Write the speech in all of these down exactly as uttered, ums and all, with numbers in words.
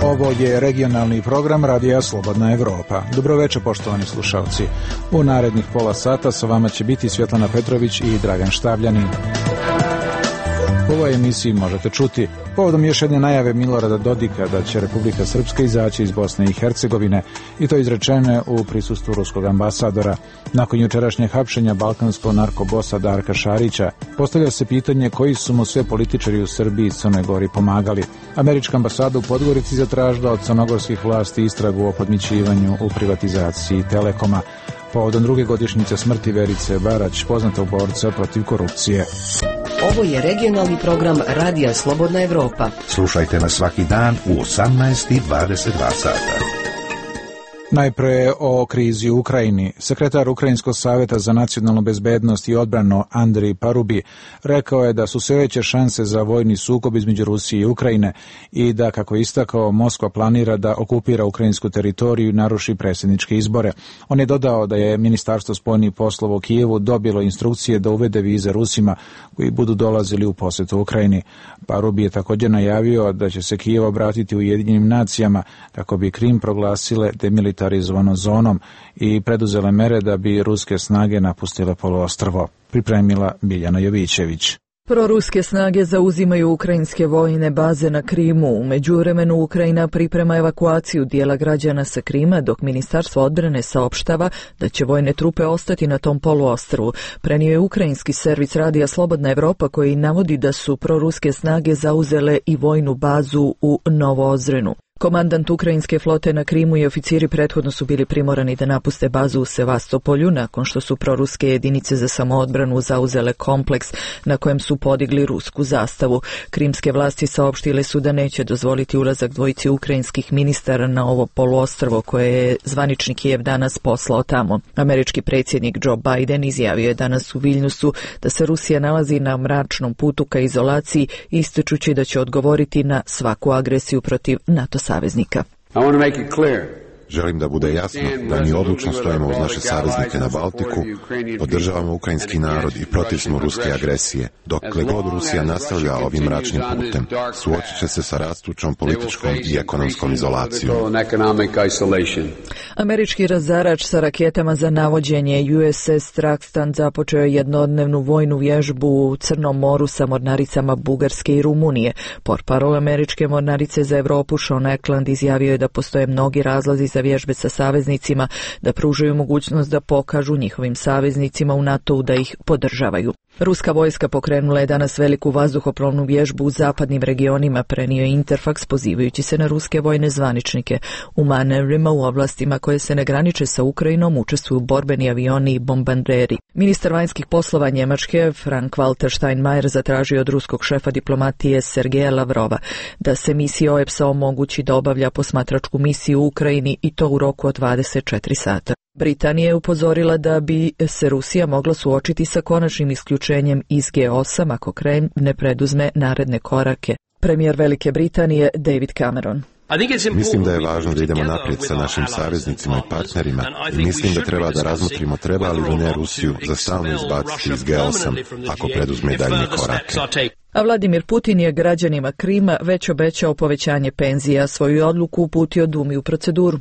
Ovo je regionalni program Radija Slobodna Evropa. Dobroveče, poštovani slušalci. U narednih pola sata sa vama će biti Svjetlana Petrović i Dragan Štavljanin. U ovoj emisiji možete čuti povodom još jedne najave Milorada Dodika da će Republika Srpska izaći iz Bosne i Hercegovine, i to izrečene u prisustvu ruskog ambasadora. Nakon jučerašnjeg hapšenja balkanskog narkobosa Darka Šarića, postavlja se pitanje koji su mu sve političari u Srbiji i Crnoj Gori pomagali. Američka ambasada u Podgorici zatražila od crnogorskih vlasti istragu o podmićivanju u privatizaciji Telekoma. Povodom druge godišnjice smrti Verice Barać, poznatog borca protiv korupcije. Ovo je regionalni program Radija Slobodna Evropa. Slušajte nas svaki dan u osamnaest i dvadeset dva sata. Najpre o krizi u Ukrajini. Sekretar Ukrajinskog savjeta za nacionalnu bezbednost i odbranu Andrij Parubi rekao je da su sve veće šanse za vojni sukob između Rusije i Ukrajine i da, kako je istakao, Moskva planira da okupira ukrajinsku teritoriju i naruši predsjedničke izbore. On je dodao da je Ministarstvo spoljnih poslova u Kijevu dobilo instrukcije da uvede vize Rusima koji budu dolazili u posjetu Ukrajini. Parubi je također najavio da će se Kijev obratiti Ujedinjenim nacijama kako bi Krim proglasile demilitarizovanom zonom i preduzele mere da bi ruske snage napustile poluostrvo. Pripremila Biljana Jovićević. Proruske snage zauzimaju ukrajinske vojne baze na Krimu. U međuvremenu Ukrajina priprema evakuaciju dijela građana sa Krima, dok Ministarstvo odbrane saopštava da će vojne trupe ostati na tom poluostrvu. Prenio je ukrajinski servis Radija Slobodna Evropa koji navodi da su proruske snage zauzele i vojnu bazu u Novoozrenu. Komandant ukrajinske flote na Krimu i oficiri prethodno su bili primorani da napuste bazu u Sevastopolju nakon što su proruske jedinice za samoodbranu zauzele kompleks na kojem su podigli rusku zastavu. Krimske vlasti saopštile su da neće dozvoliti ulazak dvojici ukrajinskih ministara na ovo poluostrvo koje je zvanični Kijev danas poslao tamo. Američki predsjednik Joe Biden izjavio je danas u Viljnusu da se Rusija nalazi na mračnom putu ka izolaciji, ističući da će odgovoriti na svaku agresiju protiv NATO saveznika. Želim da bude jasno da mi odlučno stojimo uz naše saveznike na Baltiku, podržavamo ukrajinski narod i protiv smo ruske agresije. Dokle god Rusija nastavlja ovim mračnim putem, suočit će se sa rastućom političkom i ekonomskom izolacijom. Američki razarač sa raketama za navođenje U S S Trakstan započeo je jednodnevnu vojnu vježbu u Crnom moru sa mornaricama Bugarske i Rumunije. Portparol američke mornarice za Evropu Sean Eklund izjavio je da postoje mnogi razlozi za vježbe sa saveznicima, da pružaju mogućnost da pokažu njihovim saveznicima u NATO-u da ih podržavaju. Ruska vojska pokrenula je danas veliku vazduhoplovnu vježbu u zapadnim regionima, prenio je Interfax pozivajući se na ruske vojne zvaničnike. U manevrima u oblastima koje se ne graniče sa Ukrajinom učestvuju borbeni avioni i bombarderi. Ministar vanjskih poslova Njemačke Frank-Walter Steinmeier zatražio od ruskog šefa diplomatije Sergeja Lavrova da se misija O E P S-a omogući da obavlja posmatračku misiju u Ukrajini i to u roku od dvadeset četiri sata. Britanija je upozorila da bi se Rusija mogla suočiti sa konačnim isključenjem iz G osam ako Kreml ne preduzme naredne korake. Premijer Velike Britanije David Cameron. Mislim da je važno da idemo naprijed sa našim saveznicima i partnerima i mislim da treba da razmotrimo treba li ne Rusiju za stalno izbaciti iz G osam ako preduzme daljnje korake. A Vladimir Putin je građanima Krima već obećao povećanje penzija, svoju odluku uputio Dumi u proceduru.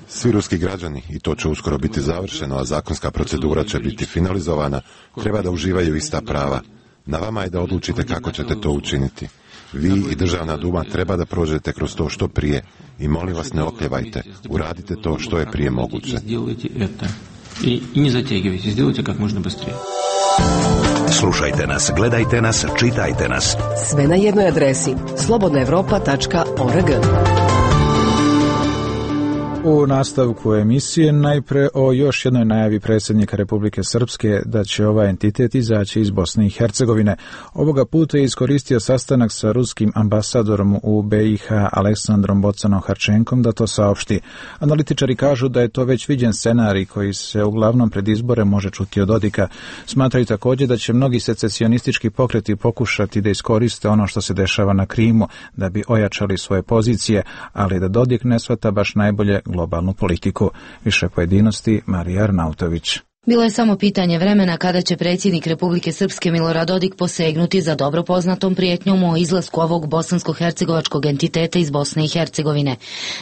Svi ruski građani, i to će uskoro biti završeno, a zakonska procedura će biti finalizovana, treba da uživaju ista prava. Na vama je da odlučite kako ćete to učiniti. Vi i Državna duma treba da prođete kroz to što prije i molim vas ne okljevajte, uradite to što je prije moguće. Slušajte nas, gledajte nas, čitajte nas. Sve na jednoj adresi slobodna evropa tačka org. U nastavku emisije najpre o još jednoj najavi predsjednika Republike Srpske da će ovaj entitet izaći iz Bosne i Hercegovine. Ovoga puta je iskoristio sastanak sa ruskim ambasadorom u B i H Aleksandrom Bocanom Harčenkom da to saopšti. Analitičari kažu da je to već viđen scenarij koji se uglavnom pred izbore može čuti od Dodika. Smatraju također da će mnogi secesionistički pokreti pokušati da iskoriste ono što se dešava na Krimu da bi ojačali svoje pozicije, ali da Dodik ne shvata baš najbolje globalnu politiku. Više pojedinosti Marija Arnautović. Bilo je samo pitanje vremena kada će predsjednik Republike Srpske Milorad Dodik posegnuti za dobro poznatom prijetnjom o izlasku ovog bosansko-hercegovačkog entiteta iz Bosne i Hercegovine.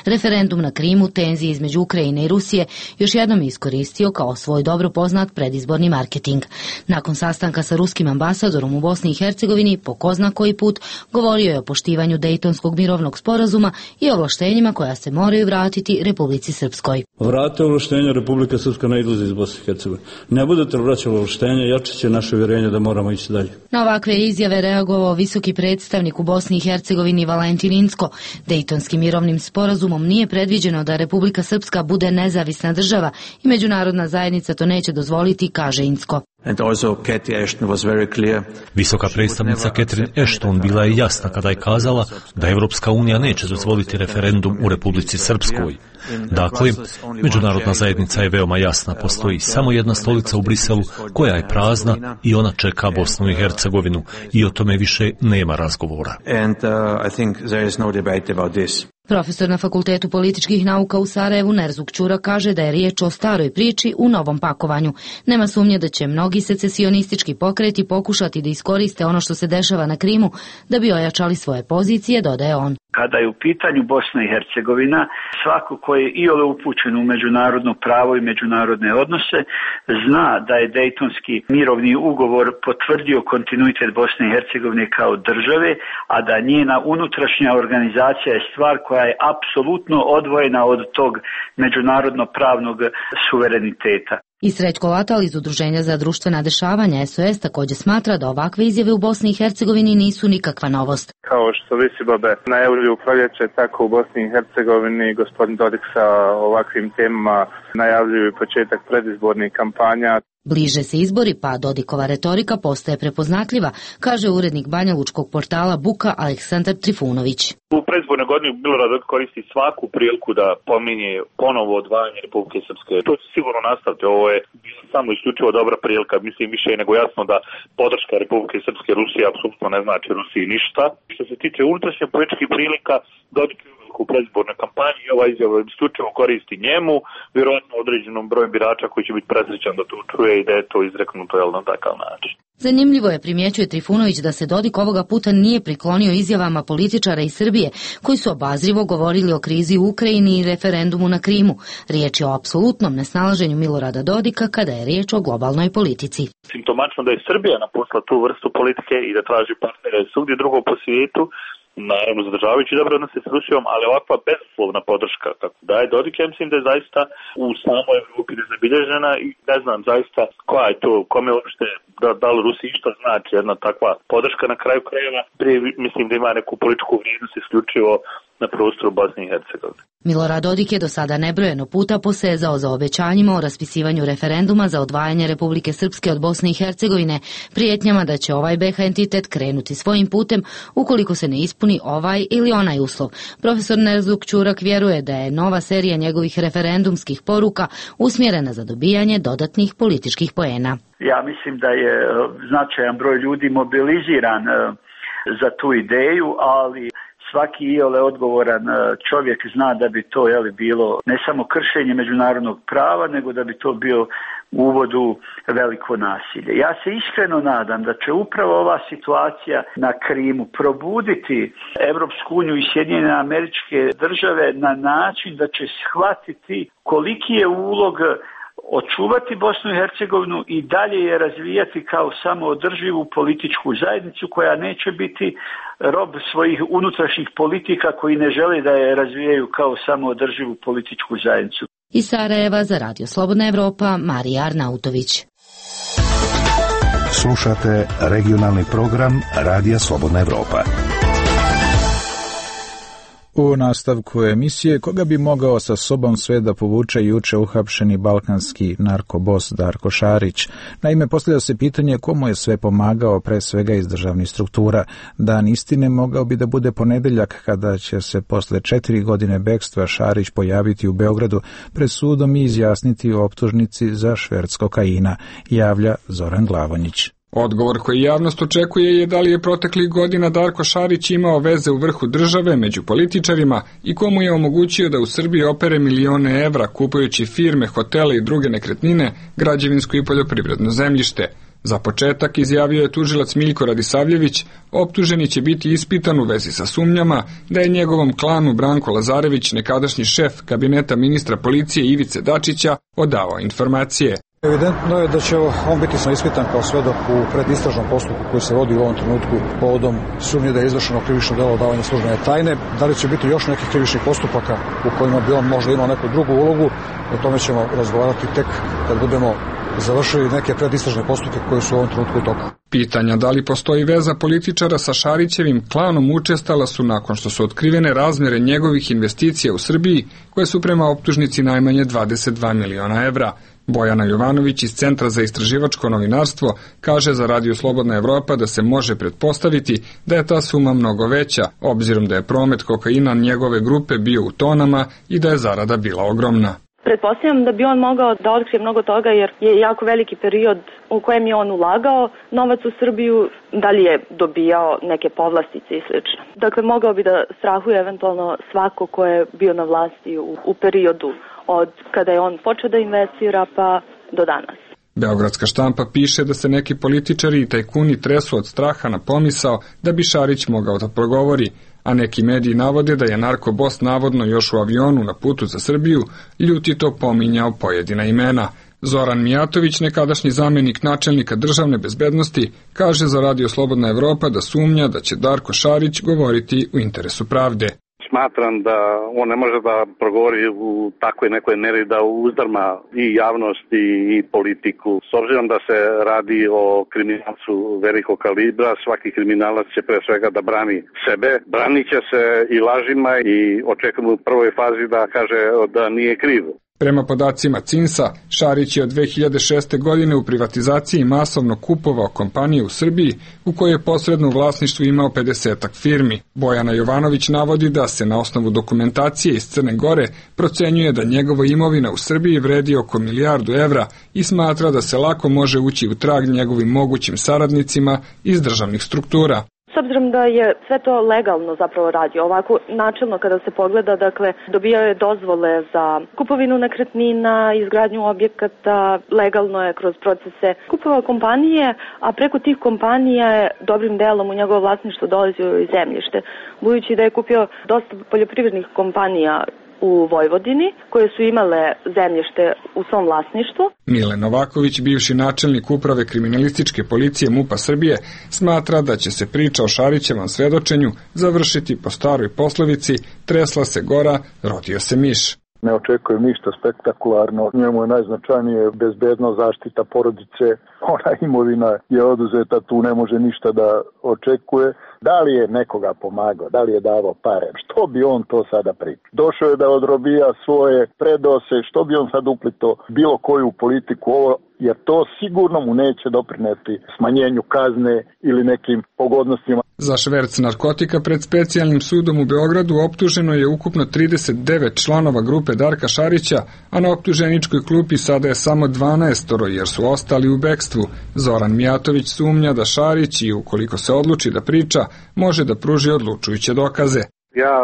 Referendum na Krimu, tenzije između Ukrajine i Rusije, još jednom je iskoristio kao svoj dobro poznat predizborni marketing. Nakon sastanka sa ruskim ambasadorom u Bosni i Hercegovini, po ko zna koji put, govorio je o poštivanju Dejtonskog mirovnog sporazuma i ovlaštenjima koja se moraju vratiti Republici Srpskoj. Vrate ovlaštenja, Republika Srpska ne izlazi iz Bosne i Hercegovine. Ne budete vraćali ovlaštenja, jačat će naše uvjerenje da moramo ići dalje. Na ovakve izjave reagovao visoki predstavnik u Bosni i Hercegovini Valentin Incko. Dejtonskim mirovnim sporazumom nije predviđeno da Republika Srpska bude nezavisna država i međunarodna zajednica to neće dozvoliti, kaže Incko. Visoka predstavnica Catherine Ashton bila je jasna kada je kazala da Evropska unija neće dozvoliti referendum u Republici Srpskoj. Dakle, međunarodna zajednica je veoma jasna, postoji samo jedna stolica u Briselu koja je prazna i ona čeka Bosnu i Hercegovinu i o tome više nema razgovora. Profesor na Fakultetu političkih nauka u Sarajevu Nerzuk Ćura kaže da je riječ o staroj priči u novom pakovanju. Nema sumnje da će mnogi secesionistički pokreti pokušati da iskoriste ono što se dešava na Krimu da bi ojačali svoje pozicije, dodaje on. Kada je u pitanju Bosna i Hercegovina, svako ko je iole upućen u međunarodno pravo i međunarodne odnose, zna da je Dejtonski mirovni ugovor potvrdio kontinuitet Bosne i Hercegovine kao države, a da njena unutrašnja organizacija je stvar koja je apsolutno odvojena od tog međunarodno pravnog suvereniteta. I Srećko Latal iz Udruženja za društvena dešavanja S O S također smatra da ovakve izjave u Bosni i Hercegovini nisu nikakva novost. Kao što Visibabe najavljuju u proljeće, tako u Bosni i Hercegovini gospodin Dodik sa ovakvim temama najavljuju početak predizbornih kampanja. Bliže se izbori, pa Dodikova retorika postaje prepoznatljiva, kaže urednik banjalučkog portala Buka Aleksandar Trifunović. U predizbornoj godini Milorad Dodik koristi svaku priliku da pominje ponovo odvajanje Republike Srpske. To će sigurno nastaviti. Ovo je samo isključivo dobra prilika. Mislim, više je nego jasno da podrška Republike Srpske Rusije apsolutno ne znači Rusiji ništa. Što se tiče unutrašnje političkih prilika, Dodik u predizbornoj kampanji i ova izjava isključivo koristi njemu, vjerojatno određenom broju birača koji će biti presrećan da to čuje i da je to izreknuto jel, na takav način. Zanimljivo je, primjećuje Trifunović, da se Dodik ovoga puta nije priklonio izjavama političara iz Srbije koji su obazrivo govorili o krizi u Ukrajini i referendumu na Krimu. Riječ je o apsolutnom nesnalaženju Milorada Dodika kada je riječ o globalnoj politici. Simptomačno da je Srbija napustila tu vrstu politike i da traži partnere svugdje drugo po svijetu, naravno zadržavajući dobre odnose s Rusijom, ali ovakva bezuslovna podrška kako daje Dodik, ja mislim da je zaista u samoj Evropi nezabilježena i ne znam zaista koja je to, kome uopšte, da, da li Rusiji što znači jedna takva podrška na kraju krajeva, prije mislim da ima neku političku vrijednost isključivo na prostoru Bosne i Hercegovine. Milorad Dodik je do sada nebrojeno puta posezao za obećanjima o raspisivanju referenduma za odvajanje Republike Srpske od Bosne i Hercegovine, prijetnjama da će ovaj B H entitet krenuti svojim putem ukoliko se ne ispuni ovaj ili onaj uslov. Profesor Nerzuk Ćurak vjeruje da je nova serija njegovih referendumskih poruka usmjerena za dobijanje dodatnih političkih poena. Ja mislim da je značajan broj ljudi mobiliziran za tu ideju, ali svaki iole odgovoran čovjek zna da bi to jeli, bilo ne samo kršenje međunarodnog prava, nego da bi to bio uvod u veliko nasilje. Ja se iskreno nadam da će upravo ova situacija na Krimu probuditi Evropsku uniju i Sjedinjene Američke Države na način da će shvatiti koliki je ulog očuvati Bosnu i Hercegovinu i dalje je razvijati kao samoodrživu političku zajednicu koja neće biti rob svojih unutrašnjih politika koji ne žele da je razvijaju kao samoodrživu političku zajednicu. Iz Sarajeva za Radio Slobodna Evropa, Marija Arnautović. Slušate regionalni program Radija Slobodna Evropa. U nastavku emisije, koga bi mogao sa sobom sve da povuče juče uhapšeni balkanski narkobos Darko Šarić. Naime, postavlja se pitanje komu je sve pomagao, pre svega iz državnih struktura. Dan istine mogao bi da bude ponedeljak kada će se posle četiri godine bekstva Šarić pojaviti u Beogradu pred sudom i izjasniti o optužnici za šverc kokaina, javlja Zoran Glavonjić. Odgovor koji javnost očekuje je da li je proteklih godina Darko Šarić imao veze u vrhu države među političarima i komu je omogućio da u Srbiji opere milione evra kupujući firme, hotele i druge nekretnine, građevinsko i poljoprivredno zemljište. Za početak, izjavio je tužilac Miljko Radisavljević, optuženi će biti ispitan u vezi sa sumnjama da je njegovom klanu Branko Lazarević, nekadašnji šef kabineta ministra policije Ivice Dačića, odavao informacije. Evidentno je da će on biti ispitan kao svedok u predistražnom postupku koji se vodi u ovom trenutku povodom sumnje da je izvršeno krivično delo odavanja službene tajne. Da li će biti još nekih krivičnih postupaka u kojima bi on možda imao neku drugu ulogu, o tome ćemo razgovarati tek kad budemo završili neke predistražne postupke koje su u ovom trenutku u toku. Pitanja da li postoji veza političara sa Šarićevim klanom učestala su nakon što su otkrivene razmjere njegovih investicija u Srbiji, koje su prema optužnici najmanje dvadeset dva miliona evra. Bojana Jovanović iz Centra za istraživačko novinarstvo kaže za Radio Slobodna Evropa da se može pretpostaviti da je ta suma mnogo veća, obzirom da je promet kokaina njegove grupe bio u tonama i da je zarada bila ogromna. Pretpostavljam da bi on mogao da otkrije mnogo toga jer je jako veliki period u kojem je on ulagao novac u Srbiju, da li je dobijao neke povlastice i sl. Dakle, mogao bi da strahuje eventualno svako ko je bio na vlasti u, u periodu od kada je on počeo da investira pa do danas. Beogradska štampa piše da se neki političari i tajkuni tresu od straha na pomisao da bi Šarić mogao da progovori, a neki mediji navode da je narkobos navodno još u avionu na putu za Srbiju ljutito pominjao pojedina imena. Zoran Mijatović, nekadašnji zamenik načelnika državne bezbednosti, kaže za Radio Slobodna Evropa da sumnja da će Darko Šarić govoriti u interesu pravde. Smatram da on ne može da progovori u takvoj nekoj meri da uzdarma i javnost i politiku. S obzirom da se radi o kriminalcu velikog kalibra, svaki kriminalac će pre svega da brani sebe. Branit će se i lažima i očekujemo u prvoj fazi da kaže da nije kriv. Prema podacima cinsa, Šarić je od dve hiljade šeste. godine u privatizaciji masovno kupovao kompanije u Srbiji u kojoj je posredno u vlasništvu imao pedesetak firmi. Bojana Jovanović navodi da se na osnovu dokumentacije iz Crne Gore procenjuje da njegova imovina u Srbiji vredi oko milijardu evra i smatra da se lako može ući u trag njegovim mogućim saradnicima iz državnih struktura. S obzirom da je sve to legalno zapravo radio, ovako načelno kada se pogleda, dakle, dobijao je dozvole za kupovinu nekretnina, izgradnju objekata, legalno je kroz procese kupovao kompanije, a preko tih kompanija je dobrim delom u njegovo vlasništvo dolazio i zemljište, budući da je kupio dosta poljoprivrednih kompanija u Vojvodini, koje su imale zemljište u svom vlasništvu. Mile Novaković, bivši načelnik uprave kriminalističke policije MUP-a Srbije, smatra da će se priča o Šarićevom svedočenju završiti po staroj poslovici tresla se gora, rodio se miš. Ne očekujem ništa spektakularno. Njemu je najznačajnije bezbednost, zaštita porodice. Ona imovina je oduzeta, tu ne može ništa da očekuje. Da li je nekoga pomagao, da li je davao pare, što bi on to sada pričao? Došao je da odrobija svoje, predao se, što bi on sad uplito bilo koju politiku ovo, jer to sigurno mu neće doprineti smanjenju kazne ili nekim pogodnostima. Za šverc narkotika pred specijalnim sudom u Beogradu optuženo je ukupno trideset devet članova grupe Darka Šarića, a na optuženičkoj klupi sada je samo dvanaestoro jer su ostali u bekstvu. Zoran Mijatović sumnja da Šarić, i ukoliko se odluči da priča, može da pruži odlučujuće dokaze. Ja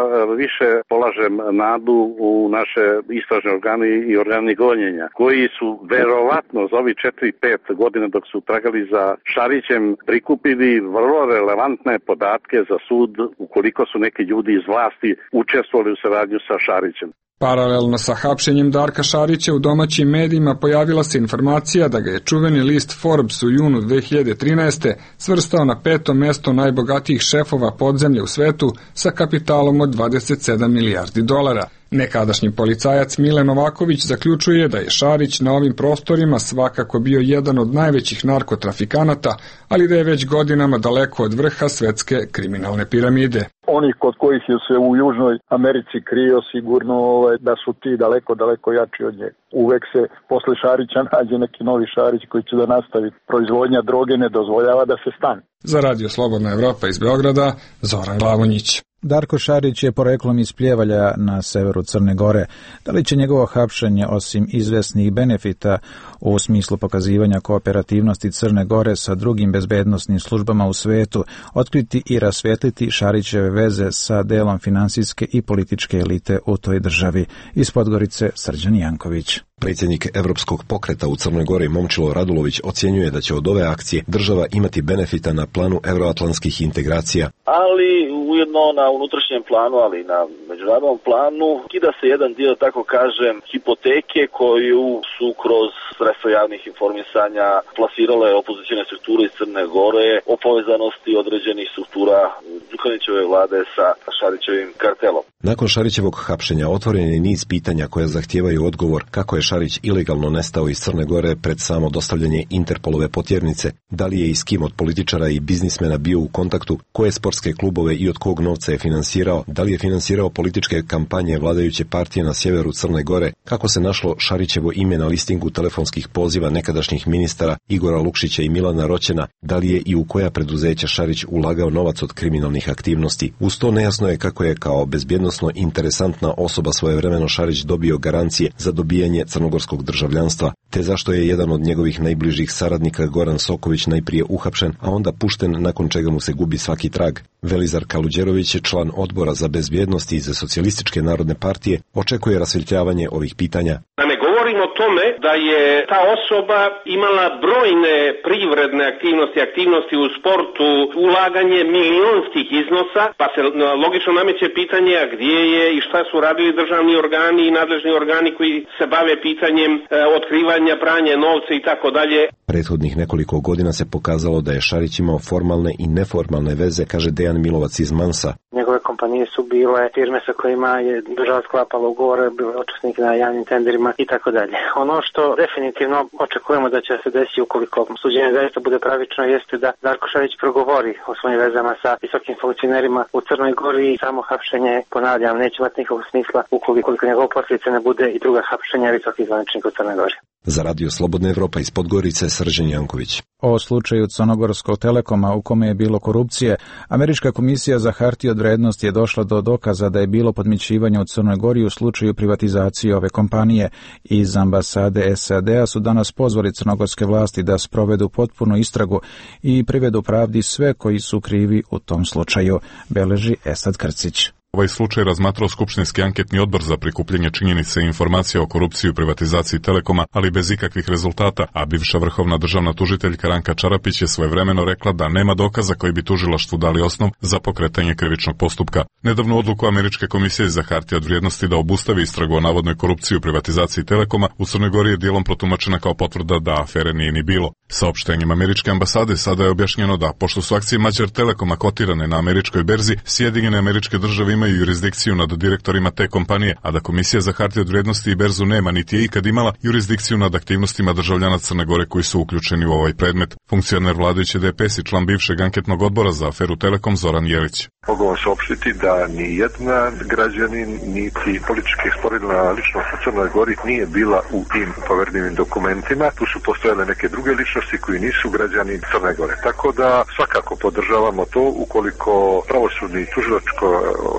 više polažem nadu u naše istražne organe i organe gonjenja, koji su verovatno za ovih četiri pet godina dok su tragali za Šarićem prikupili vrlo relevantne podatke za sud ukoliko su neki ljudi iz vlasti učestvovali u saradnju sa Šarićem. Paralelno sa hapšenjem Darka Šarića u domaćim medijima pojavila se informacija da ga je čuveni list Forbes u junu dve hiljade trinaeste. svrstao na peto mesto najbogatijih šefova podzemlja u svetu sa kapitalom od dvadeset sedam milijardi dolara. Nekadašnji policajac Mile Novaković zaključuje da je Šarić na ovim prostorima svakako bio jedan od najvećih narkotrafikanata, ali da je već godinama daleko od vrha svetske kriminalne piramide. onih kod kojih je se u Južnoj Americi krio sigurno ovaj, da su ti daleko, daleko jači od njega. Uvek se posle Šarića nađe neki novi Šarić koji će da nastavi. Proizvodnja droge ne dozvoljava da se stane. Za Radio Slobodna Evropa iz Beograda, Zoran Glavonjić. Darko Šarić je poreklom iz Pljevalja na severu Crne Gore. Da li će njegovo hapšenje, osim izvesnih benefita u smislu pokazivanja kooperativnosti Crne Gore sa drugim bezbednosnim službama u svetu, otkriti i rasvetliti Šarićeve veze sa delom finansijske i političke elite u toj državi? Iz Podgorice, Srđan Janković. Predsjednik Evropskog pokreta u Crnoj Gori Momčilo Radulović ocjenjuje da će od ove akcije država imati benefita na planu euroatlantskih integracija. Ali ujedno na unutrašnjem planu, ali i na međunarodnom planu kida se jedan dio, tako kažem, hipoteke koju su kroz sredstva javnih informisanja plasirale opozicijne strukture iz Crne Gore o povezanosti određenih struktura Đukanovićeve vlade sa Šarićevim kartelom. Nakon Šarićevog hapšenja otvoren je niz pitanja koja zahtijevaju odgovor kako je Šarić ilegalno nestao iz Crne Gore pred samo dostavljanje Interpolove potjernice, da li je i s kim od političara i biznismena bio u kontaktu, koje sportske klubove i od kog novca je finansirao, da li je finansirao političke kampanje vladajuće partije na sjeveru Crne Gore, kako se našlo Šarićevo ime na listingu telefonskih poziva nekadašnjih ministara Igora Lukšića i Milana Roćena, da li je i u koja preduzeća Šarić ulagao novac od kriminalnih aktivnosti. Uz to nejasno je kako je kao bezbjednosno interesantna osoba svojevremeno Šarić dobio garancije za dobijanje crnogorskog državljanstva, te zašto je jedan od njegovih najbližih saradnika Goran Soković najprije uhapšen, a onda pušten nakon čega mu se gubi svaki trag. Velizar Kaluđerović je član odbora za bezbjednost iz Socijalističke narodne partije, očekuje rasvjetljavanje ovih pitanja. Da ne govorim o tome da je ta osoba imala brojne privredne aktivnosti, aktivnosti u sportu, ulaganje milionskih iznosa, pa se logično nameće pitanje a gdje je i šta su radili državni organi i nadležni organi koji se bave pitanjem e, otkrivanja, pranja novca i tako dalje. Prethodnih nekoliko godina se pokazalo da je Šarić imao formalne i neformalne veze, kaže Dejan Milovac iz Mansa. Njegove kompanije su bile firme sa kojima je država sklapala ugovore, bile učesnik na javnim tenderima i tako dalje. Ono što definitivno očekujemo da će se desiti ukoliko suđenje zaista bude pravično jeste da Darko Šarić progovori o svojim vezama sa visokim funkcionerima u Crnoj Gori i samo hapšenje, ponavljam, neće imati nikakvog smisla ukoliko njegov posljedice ne bude i druga hapšenja visokih zvaničnika u Crnoj Gori. Za Radio Slobodna Evropa iz Podgorice, Srđan Janković. O slučaju Crnogorskog Telekoma u kome je bilo korupcije, Američka komisija za hartije od vrednosti je došla do dokaza da je bilo podmićivanja u Crnoj Gori u slučaju privatizacije ove kompanije. Iz ambasade S A D-a su danas pozvali crnogorske vlasti da sprovedu potpunu istragu i privedu pravdi sve koji su krivi u tom slučaju, beleži Esad Krcić. Ovaj slučaj razmatrao Skupštinski anketni odbor za prikupljanje činjenica i informacija o korupciji i privatizaciji Telekoma, ali bez ikakvih rezultata, a bivša vrhovna državna tužiteljka Ranka Čarapić je svojevremeno rekla da nema dokaza koji bi tužilaštvu dali osnov za pokretanje krivičnog postupka. Nedavnu odluku Američke komisije za hartije od vrijednosti da obustavi istragu o navodnoj korupciji u privatizaciji Telekoma u Crnoj Gori je dijelom protumačena kao potvrda da afere nije ni bilo. Saopštenjem Američke ambasade sada je objašnjeno da, pošto su akcije Mađar Telekoma kotirane na američkoj berzi, Sjedinjene Američke Države imaju jurisdikciju nad direktorima te kompanije, a da Komisija za hartije od vrijednosti i berzu nema niti je ikad imala jurisdikciju nad aktivnostima državljana Crne Gore koji su uključeni u ovaj predmet. Funkcioner vladajuće D P S i član bivšeg anketnog odbora za aferu Telekom Zoran Jelić. Mogu vam saopštiti da ni jedna građanin, niti politički sporedna ličnost u Crnoj Gori nije bila u tim povjerljivim dokumentima. Tu su postojale neke druge ličnosti koji nisu građani Crne Gore. Tako da svakako podržavamo to ukoliko pravosudni tužilačko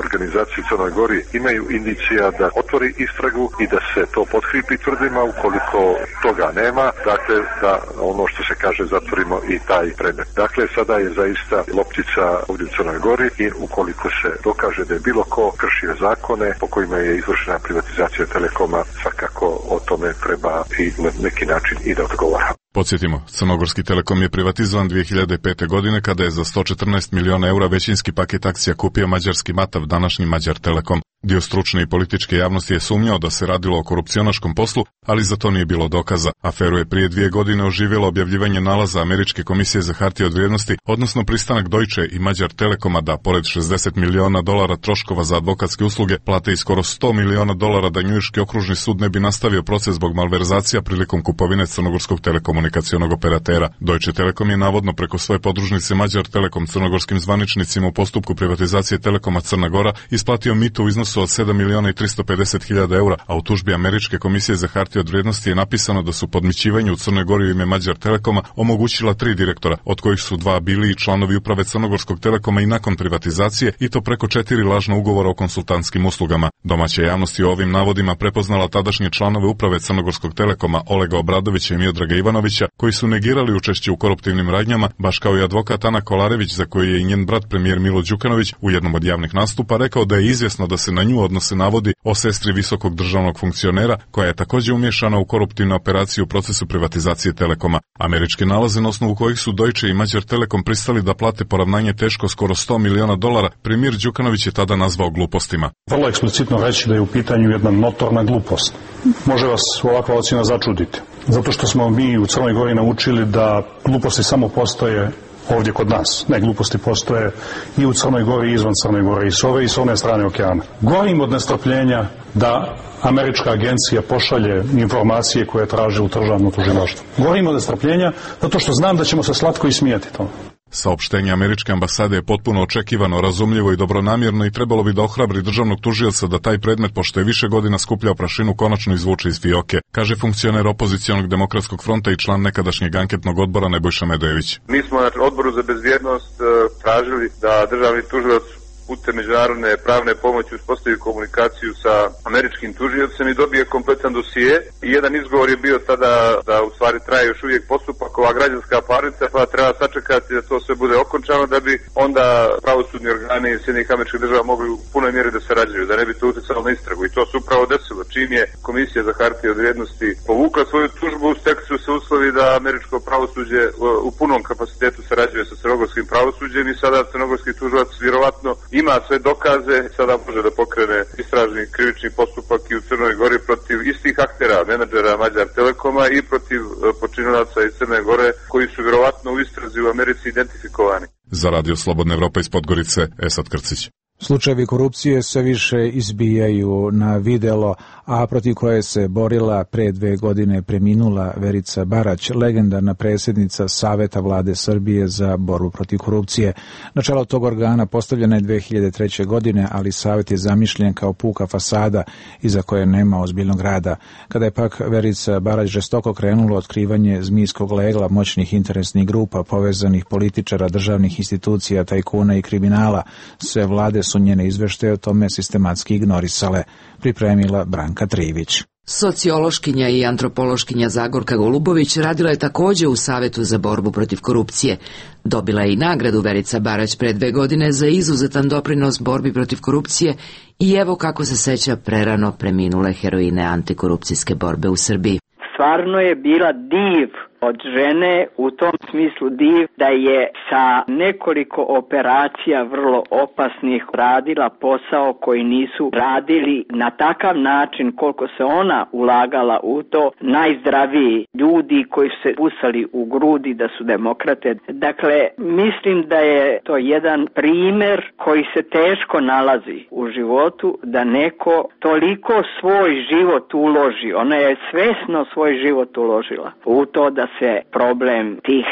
organizacije u Crnoj Gori imaju indicija da otvori istragu i da se to potkrijepi tvrdima. Ukoliko toga nema, dakle da ono što se kaže zatvorimo i taj predmet. Dakle, sada je zaista loptica ovdje u Crnoj Gori i ukoliko se dokaže da je bilo ko kršio zakone po kojima je izvršena privatizacija Telekoma, svakako o tome treba i na neki način i da odgovara. Podsjetimo, Crnogorski Telekom je privatizovan dvije hiljade pete. godine kada je za sto četrnaest miliona eura većinski paket akcija kupio mađarski Matav, današnji Mađar Telekom. Dio stručne i političke javnosti je sumnjao da se radilo o korupcionaškom poslu, ali za to nije bilo dokaza. Aferu je prije dvije godine oživjelo objavljivanje nalaza Američke komisije za hartije od vrijednosti, odnosno pristanak Deutsche i Magyar Telekoma da, pored šezdeset miliona dolara troškova za advokatske usluge, plate i skoro sto miliona dolara da njujorški okružni sud ne bi nastavio proces zbog malverzacija prilikom kupovine crnogorskog telekomunikacionog operatera. Deutsche Telekom je navodno preko svoje podružnice Magyar Telekom crnogorskim zvaničnicima u postupku privatizacije Telekoma Crna Gora isplatio mito u iznosu od sedam miliona i tristo pedeset hiljada eura, a u tužbi Američke komisije za hartije od vrijednosti je napisano da su podmićivanje u Crnoj Gori u ime Magyar Telekoma omogućila tri direktora, od kojih su dva bili i članovi uprave Crnogorskog Telekoma i nakon privatizacije, i to preko četiri lažna ugovora o konsultantskim uslugama. Domaća javnost je o ovim navodima prepoznala tadašnje članove uprave Crnogorskog Telekoma Olega Obradovića i Miodraga Ivanovića, koji su negirali učešće u koruptivnim radnjama, baš kao i advokat Ana Kolarević, za koji je i njen brat premijer Milo Đukanović u jednom od javnih nastupa rekao da je izvjesno da se na nju odnose navodi o sestri visokog državnog funkcionera, koja je također umješana u koruptivnu operaciju u procesu privatizacije Telekoma. Američke nalaze na osnovu kojih su Deutsche i Magyar Telekom pristali da plate poravnanje teško skoro sto miliona dolara, premijer Đukanović je tada nazvao glupostima. Vrlo eksplicitno reći da je u pitanju jedna notorna glupost. Može vas ovakva ocjena začuditi. Zato što smo mi u Crnoj Gori naučili da gluposti samo postoje ovdje kod nas. Ne, gluposti postoje i u Crnoj Gori i izvan Crne Gore, i s ove i s one strane okeana. Govorim od nestrpljenja da američka agencija pošalje informacije koje traže u državno tužilaštvo. Govorim od nestrpljenja zato što znam da ćemo se slatko ismijati tome. Saopštenje američke ambasade je potpuno očekivano, razumljivo i dobronamjerno i trebalo bi da ohrabri državnog tužioca da taj predmet, pošto je više godina skupljao prašinu, konačno izvuče iz fioke, kaže funkcioner opozicionog demokratskog fronta i član nekadašnjeg anketnog odbora Nebojša Medojević. Mi smo na odboru za bezbjednost tražili da državni tužilac putem međunarodne pravne pomoći uspostavi komunikaciju sa američkim tužiocem i dobije kompletan dosije. I jedan izgovor je bio tada da u stvari traje još uvijek postupak, ova građanska parnica, pa treba sačekati da to sve bude okončano da bi onda pravosudni organi Sjedinjenih Američkih Država mogli u punoj mjeri da sarađuju, da ne bi to utjecalo na istragu. I to se upravo desilo. Čim je Komisija za hartije od vrijednosti povukla svoju tužbu, stekli su se uslovi da američko pravosuđe u punom kapacitetu sarađuje sa crnogorskim pravosuđem i sada crnogorski tužilac vjerovatno ima sve dokaze, sada može da pokrene istražni krivični postupak i u Crnoj Gori protiv istih aktera, menadžera Magyar Telekoma i protiv počinilaca iz Crne Gore koji su vjerovatno u istrazi u Americi identifikovani. Za Radio Slobodna Evropa iz Podgorice, Esad Krcić. Slučajevi korupcije sve više izbijaju na videlo, a protiv koje se borila pre dve godine preminula Verica Barać, legendarna predsjednica Saveta vlade Srbije za borbu protiv korupcije. Na čelo tog organa postavljena je dve hiljade treće. godine, ali Savet je zamišljen kao puka fasada iza koje nema ozbiljnog rada. Kada je pak Verica Barać žestoko krenulo otkrivanje zmijskog legla moćnih interesnih grupa, povezanih političara, državnih institucija, tajkuna i kriminala, sve vlade su njene izveštaje o tome sistematski ignorisale, pripremila Branka Trivić. Sociološkinja i antropološkinja Zagorka Golubović radila je također u Savetu za borbu protiv korupcije. Dobila je i nagradu Verica Barać pre dve godine za izuzetan doprinos borbi protiv korupcije i evo kako se seća prerano preminule heroine antikorupcijske borbe u Srbiji. Stvarno je bila div od žene, u tom smislu div da je sa nekoliko operacija vrlo opasnih radila posao koji nisu radili na takav način koliko se ona ulagala u to najzdraviji ljudi koji su se busali u grudi da su demokrate. Dakle, mislim da je to jedan primjer koji se teško nalazi u životu, da neko toliko svoj život uloži, ona je svesno svoj život uložila u to da se problem tih,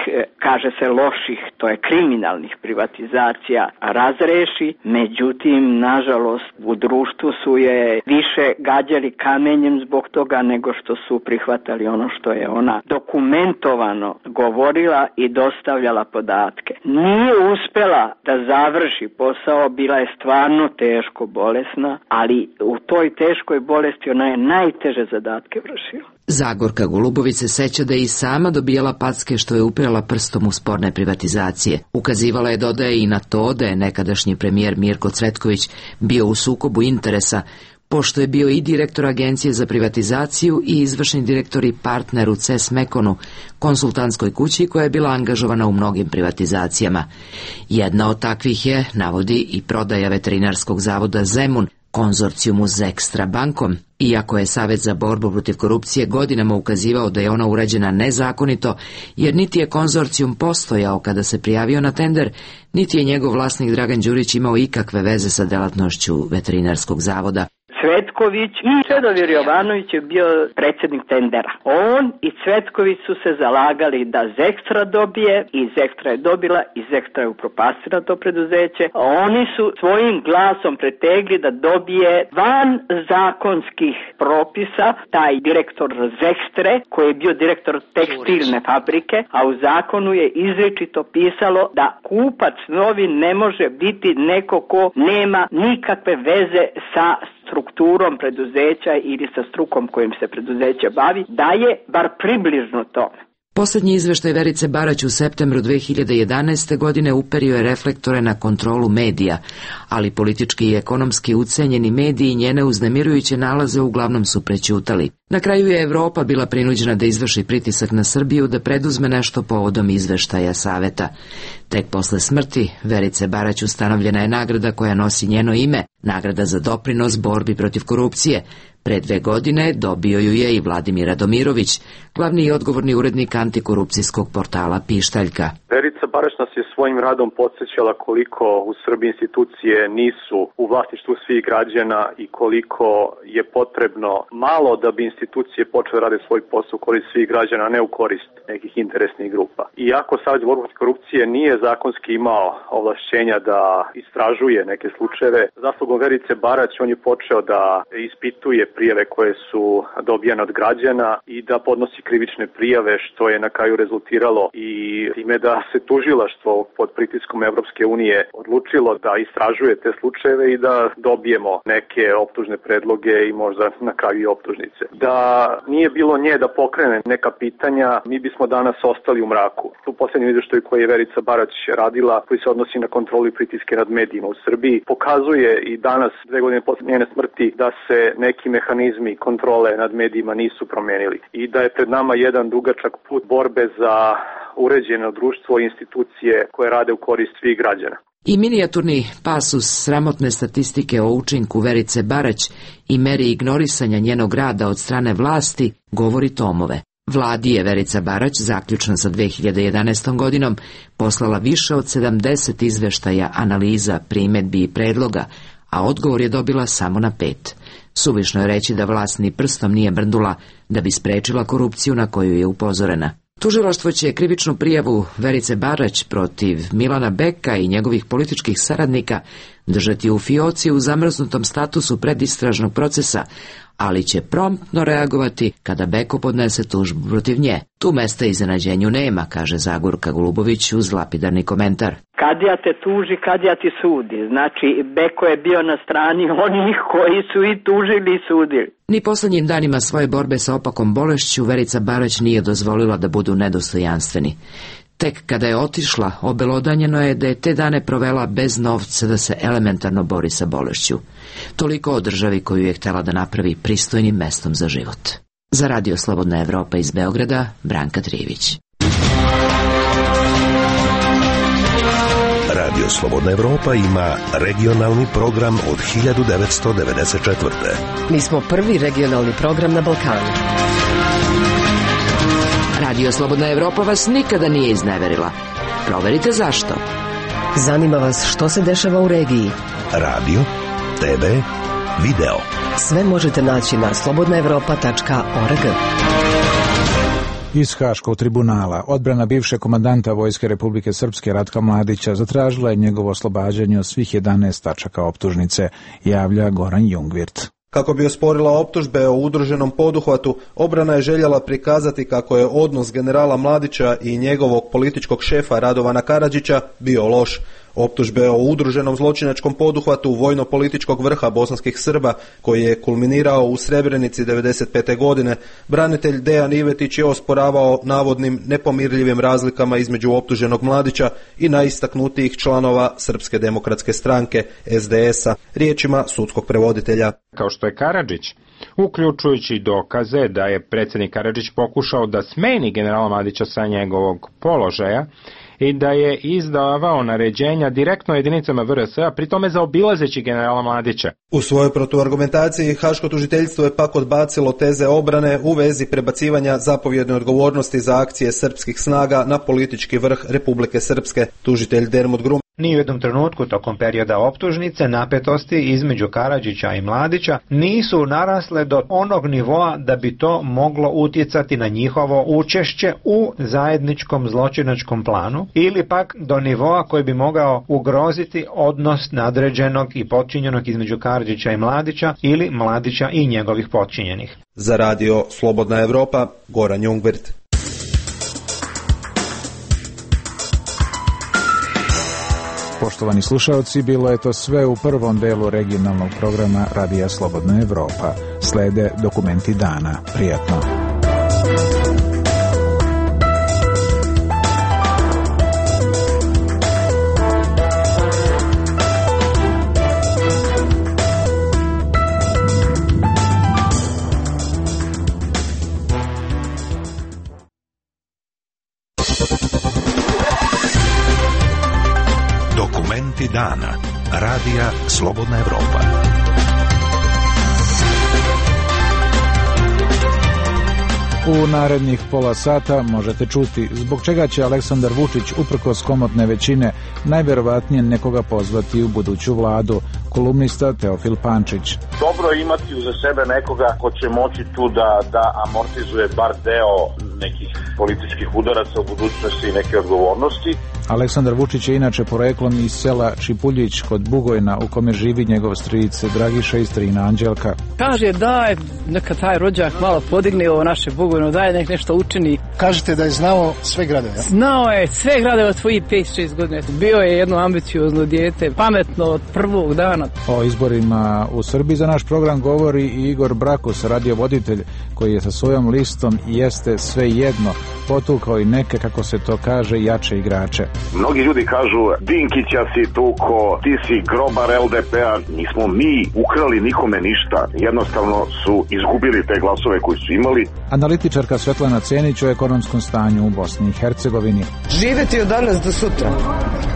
kaže se, loših, to je kriminalnih privatizacija razreši, međutim, nažalost, u društvu su je više gađali kamenjem zbog toga nego što su prihvatali ono što je ona dokumentovano govorila i dostavljala podatke. Nije uspela da završi posao, bila je stvarno teško bolesna, ali u toj teškoj bolesti ona je najteže zadatke vršila. Zagorka Golubović se seća da je i sama dobijala packe što je upirala prstom u sporne privatizacije. Ukazivala je, dodaje, i na to da je nekadašnji premijer Mirko Cvetković bio u sukobu interesa, pošto je bio i direktor Agencije za privatizaciju i izvršni direktor i partner u C E S Mekonu, konsultantskoj kući koja je bila angažovana u mnogim privatizacijama. Jedna od takvih je, navodi, i prodaja veterinarskog zavoda Zemun, konzorcijumu s Ekstra bankom, iako je Savet za borbu protiv korupcije godinama ukazivao da je ona urađena nezakonito, jer niti je konzorcijum postojao kada se prijavio na tender, niti je njegov vlasnik Dragan Đurić imao ikakve veze sa delatnošću veterinarskog zavoda. Cvetković i Čedomir Jovanović je bio predsjednik tendera. On i Cvetković su se zalagali da Zekstra dobije i Zekstra je dobila i Zekstra je upropastila to preduzeće. Oni su svojim glasom pretegli da dobije van zakonskih propisa taj direktor Zekstre koji je bio direktor tekstilne fabrike, a u zakonu je izričito pisalo da kupac novi ne može biti neko ko nema nikakve veze sa strukturom preduzeća ili sa strukom kojim se preduzeće bavi, da je bar približno tome. Posljednji izveštaj Verice Barać u septembru dve hiljade jedanaeste. godine uperio je reflektore na kontrolu medija, ali politički i ekonomski ucenjeni mediji njene uznemirujuće nalaze uglavnom su prećutali. Na kraju je Evropa bila prinuđena da izvrši pritisak na Srbiju da preduzme nešto povodom izveštaja Saveta. Tek posle smrti Verice Barać ustanovljena je nagrada koja nosi njeno ime, nagrada za doprinos borbi protiv korupcije. Pre dve godine dobio ju je i Vladimir Radomirović, glavni i odgovorni urednik antikorupcijskog portala Pištaljka. Verica Barać nas je svojim radom podsjećala koliko u Srbiji institucije nisu u vlasništvu svih građana i koliko je potrebno malo da bi institucije počele rade svoj posao u korist svih građana, a ne u korist nekih interesnih grupa. Iako Savet za borbu protiv korupcije nije zakonski imao ovlašćenja da istražuje neke slučajeve, zaslugom Verice Barać on je počeo da ispituje prijave koje su dobijane od građana i da podnosi krivične prijave, što je na kraju rezultiralo i time da se tužilaštvo pod pritiskom Evropske unije odlučilo da istražuje te slučajeve i da dobijemo neke optužne predloge i možda na kraju i optužnice. Da nije bilo nje da pokrene neka pitanja, mi bismo danas ostali u mraku. U posljednjem izveštaju koji je Verica Barać radila, koji se odnosi na kontrolu i pritiske nad medijima u Srbiji, pokazuje i danas, dve godine posle njene smrti, da se neki mehanizmi kontrole nad medijima nisu promenili i da je pred nama jedan dugačak put borbe za uređeno društvo i institucije koje rade u korist svih građana. I minijaturni pasus sramotne statistike o učinku Verice Barać i meri ignorisanja njenog rada od strane vlasti govori tomove. Vladi je Verica Barać, zaključno sa dve hiljade jedanaestom. godinom, poslala više od sedamdeset izveštaja, analiza, primedbi i predloga, a odgovor je dobila samo na pet. Suvišno je reći da vlast ni prstom nije mrdnula da bi sprečila korupciju na koju je upozorena. Tužilaštvo će krivičnu prijavu Verice Barać protiv Milana Beka i njegovih političkih saradnika držati u fioci u zamrznutom statusu predistražnog procesa, ali će promptno reagovati kada Beko podnese tužbu protiv nje. Tu mesta iznenađenju nema, kaže Zagorka Golubović uz lapidarni komentar. Kad ja te tuži, kad ja ti sudi. Znači, Beko je bio na strani onih koji su i tužili i sudili. Ni poslednjim danima svoje borbe sa opakom bolešću Verica Barać nije dozvolila da budu nedostojanstveni. Tek kada je otišla, obelodanjeno je da je te dane provela bez novca da se elementarno bori sa bolešću. Toliko o državi koju je htjela da napravi pristojnim mestom za život. Za Radio Slobodna Evropa iz Beograda, Branka Trijević. Radio Slobodna Evropa ima regionalni program od hiljadu devetsto devedeset četvrte. Mi smo prvi regionalni program na Balkanu. Radio Slobodna Evropa vas nikada nije izneverila. Proverite zašto. Zanima vas što se dešava u regiji. Radio, te ve, video. Sve možete naći na slobodna evropa tačka org. Iz Haškog tribunala odbrana bivšeg komandanta Vojske Republike Srpske Ratka Mladića zatražila je njegovo oslobađanje od svih jedanaest tačaka optužnice, javlja Goran Jungvirt. Kako bi osporila optužbe o udruženom poduhvatu, obrana je željela prikazati kako je odnos generala Mladića i njegovog političkog šefa Radovana Karadžića bio loš. Optužbe o udruženom zločinačkom poduhvatu vojno-političkog vrha bosanskih Srba, koji je kulminirao u Srebrenici devedeset pete. godine, branitelj Dejan Ivetić je osporavao navodnim nepomirljivim razlikama između optuženog Mladića i najistaknutijih članova Srpske demokratske stranke, es de es a, riječima sudskog prevoditelja. Kao što je Karadžić uključujući dokaze da je predsjednik Karadžić pokušao da smeni generala Mladića sa njegovog položaja i da je izdavao naređenja direktno jedinicama V R S-a, pri tome zaobilazeći generala Mladića. U svojoj protuargumentaciji Haško tužiteljstvo je pak odbacilo teze obrane u vezi prebacivanja zapovjedne odgovornosti za akcije srpskih snaga na politički vrh Republike Srpske. Tužitelj Dermot Grum: ni u jednom trenutku tokom perioda optužnice napetosti između Karadžića i Mladića nisu narasle do onog nivoa da bi to moglo utjecati na njihovo učešće u zajedničkom zločinačkom planu ili pak do nivoa koji bi mogao ugroziti odnos nadređenog i potčinjenog između Karadžića i Mladića ili Mladića i njegovih potčinjenih. Za radio Slobodna Evropa, Goran Jungwirth. Poštovani slušalci, bilo je to sve u prvom delu regionalnog programa Radija Slobodna Evropa. Slede dokumenti dana. Prijatno. Dana. Radija Slobodna Evropa. U narednih pola sata možete čuti zbog čega će Aleksandar Vučić uprkos komotne većine najverovatnije nekoga pozvati u buduću vladu. Kolumnista Teofil Pančić. Dobro je imati uza sebe nekoga ko će moći tu da, da amortizuje bar deo nekih političkih udaraca u budućnosti i neke odgovornosti. Aleksandar Vučić je inače poreklom iz sela Čipuljić kod Bugojna u kome živi njegov stric Dragiša i strina Anđelka. Kaže daj, neka taj rođak malo podigne ovo naše Bugojno, daj nek nešto učini. Kažete da je znao sve gradove, ja? Znao je sve gradove od svojih pet šest godina. Bio je jedno ambiciozno dijete, pametno od prvog dana. O izborima u Srbiji za naš program govori i Igor Brakus, radiovoditelj, koji je sa svojom listom Jeste sve jedno potukao i neke, kako se to kaže, jače igrače. Mnogi ljudi kažu Dinkića si tuko, ti si grobar L D P-a, nismo mi ukrali nikome ništa, jednostavno su izgubili te glasove koji su imali. Analitičarka Svetlana Cenić o ekonomskom stanju u Bosni i Hercegovini. Živjeti od danas do sutra.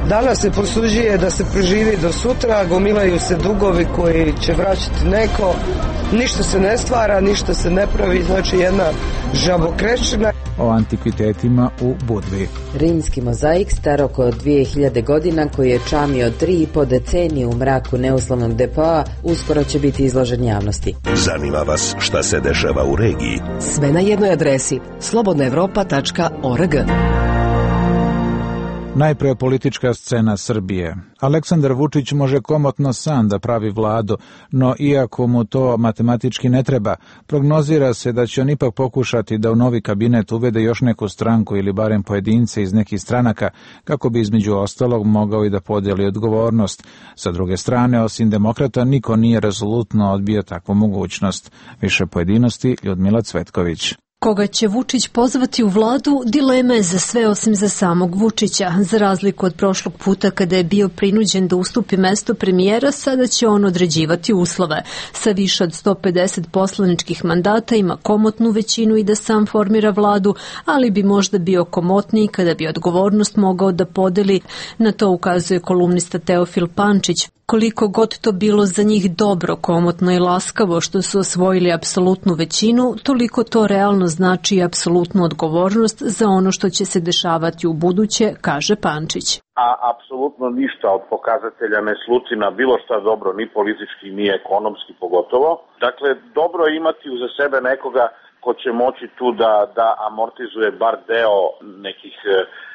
Danas se prosuđuje da se preživi do sutra, gomilaju se dugovi koji će vraćati neko, ništa se ne stvara, ništa se ne pravi, znači jedna žabokrečina. O antikvitetima u Budvi. Rimski mozaik star oko dvije hiljade godina koji je čamio tri i po decenije u mraku neuslovnog depoa uskoro će biti izložen javnosti. Zanima vas šta se dešava u regiji? Sve na jednoj adresi slobodna evropa tačka org. Najpre politička scena Srbije. Aleksandar Vučić može komotno sam da pravi vladu, no iako mu to matematički ne treba, prognozira se da će on ipak pokušati da u novi kabinet uvede još neku stranku ili barem pojedince iz nekih stranaka, kako bi između ostalog mogao i da podijeli odgovornost. Sa druge strane, osim demokrata, niko nije rezolutno odbio takvu mogućnost. Više pojedinosti Ljudmila Cvetković. Koga će Vučić pozvati u vladu, dilema je za sve osim za samog Vučića. Za razliku od prošlog puta kada je bio prinuđen da ustupi mesto premijera, sada će on određivati uslove. Sa više od sto pedeset poslaničkih mandata ima komotnu većinu i da sam formira vladu, ali bi možda bio komotniji kada bi odgovornost mogao da podeli. Na to ukazuje kolumnista Teofil Pančić. Koliko god to bilo za njih dobro, komotno i laskavo što su osvojili apsolutnu većinu, toliko to realno znači apsolutnu odgovornost za ono što će se dešavati u buduće, kaže Pančić. A apsolutno ništa od pokazatelja ne sluti na bilo šta dobro, ni politički, ni ekonomski pogotovo. Dakle, dobro je imati uza sebe nekoga ko će moći tu da, da amortizuje bar deo nekih e,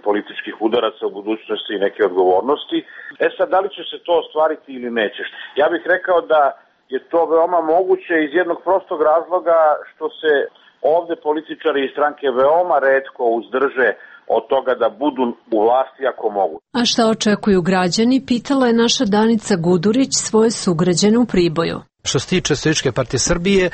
političkih udaraca u budućnosti i neke odgovornosti. E sad, da li će se to ostvariti ili neće? Ja bih rekao da je to veoma moguće iz jednog prostog razloga što se ovde političari i stranke veoma retko uzdrže od toga da budu u vlasti ako mogu. A šta očekuju građani, pitala je naša Danica Gudurić svoje sugrađane u Priboju. Što se tiče Socijalističke partije Srbije,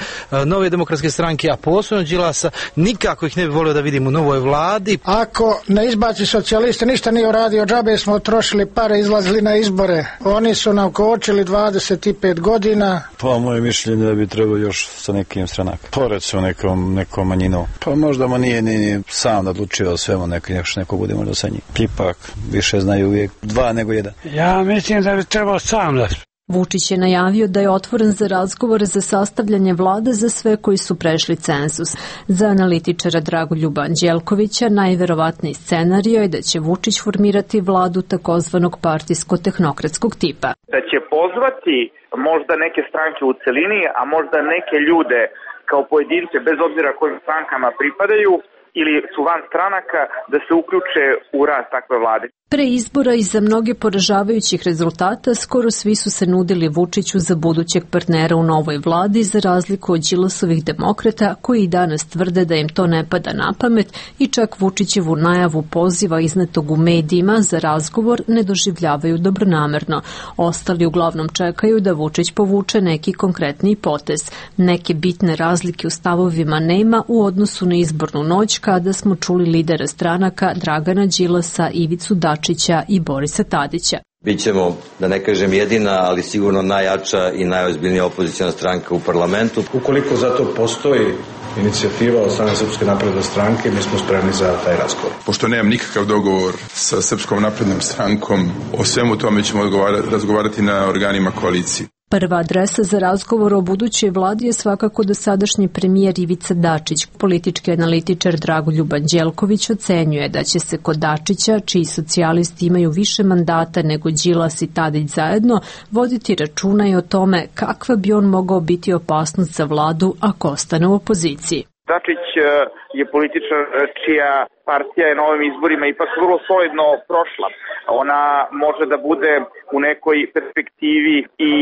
Nove demokratske stranke, a posebno Đilasa, nikako ih ne bi volio da vidim u novoj vladi. Ako ne izbaci socijaliste, ništa nije uradio, džabe smo trošili pare, izlazili na izbore. Oni su nam kočili dvadeset pet godina. Pa moje mišljenje da bi trebao još sa nekim stranaka. Pored su nekom, nekom manjinom. Pa možda mu nije ni, ni sam odlučio o svemu, neko, neko, neko bude možda sa njim. Ipak više znaju uvijek dva nego jedan. Ja mislim da bi trebao sam da... Vučić je najavio da je otvoren za razgovore za sastavljanje vlade za sve koji su prešli cenzus. Za analitičara Dragoljuba Anđelkovića najverovatniji scenario je da će Vučić formirati vladu takozvanog partijsko-tehnokratskog tipa. Da će pozvati možda neke stranke u celini, a možda neke ljude kao pojedince, bez obzira kojim strankama pripadaju, ili su van stranaka, da se uključe u rad takve vlade. Pre izbora i za mnoge poražavajućih rezultata skoro svi su se nudili Vučiću za budućeg partnera u novoj vladi, za razliku od Đilasovih demokrata koji i danas tvrde da im to ne pada na pamet i čak Vučićevu najavu poziva iznetog u medijima za razgovor ne doživljavaju dobronamerno. Ostali uglavnom čekaju da Vučić povuče neki konkretni potez. Neke bitne razlike u stavovima nema u odnosu na izbornu noć kada smo čuli lidera stranaka Dragana Đilasa, Ivicu Dačića i Borisa Tadića. Bićemo, da ne kažem jedina, ali sigurno najjača i najozbiljnija opozicijna stranka u parlamentu. Ukoliko za to postoji inicijativa od strane Srpske napredne stranke, mi smo spremni za taj razgovor. Pošto nemam nikakav dogovor sa Srpskom naprednom strankom, o svemu tome ćemo razgovarati na organima koalicije. Prva adresa za razgovor o budućoj vladi je svakako dosadašnji premijer Ivica Dačić. Politički analitičar Dragoljub Anđelković ocenjuje da će se kod Dačića, čiji socijalisti imaju više mandata nego Đilas i Tadić zajedno, voditi računa i o tome kakva bi on mogao biti opasnost za vladu ako ostane u opoziciji. Dačić je političar čija partija je na ovim izborima ipak vrlo solidno prošla. Ona može da bude u nekoj perspektivi i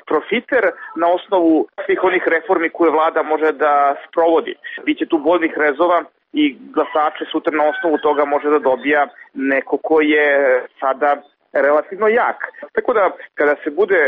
profiter na osnovu svih onih reformi koje vlada može da sprovodi. Biće tu boljnih rezova i glasače sutra na osnovu toga može da dobija neko ko je sada relativno jak. Tako da, kada se bude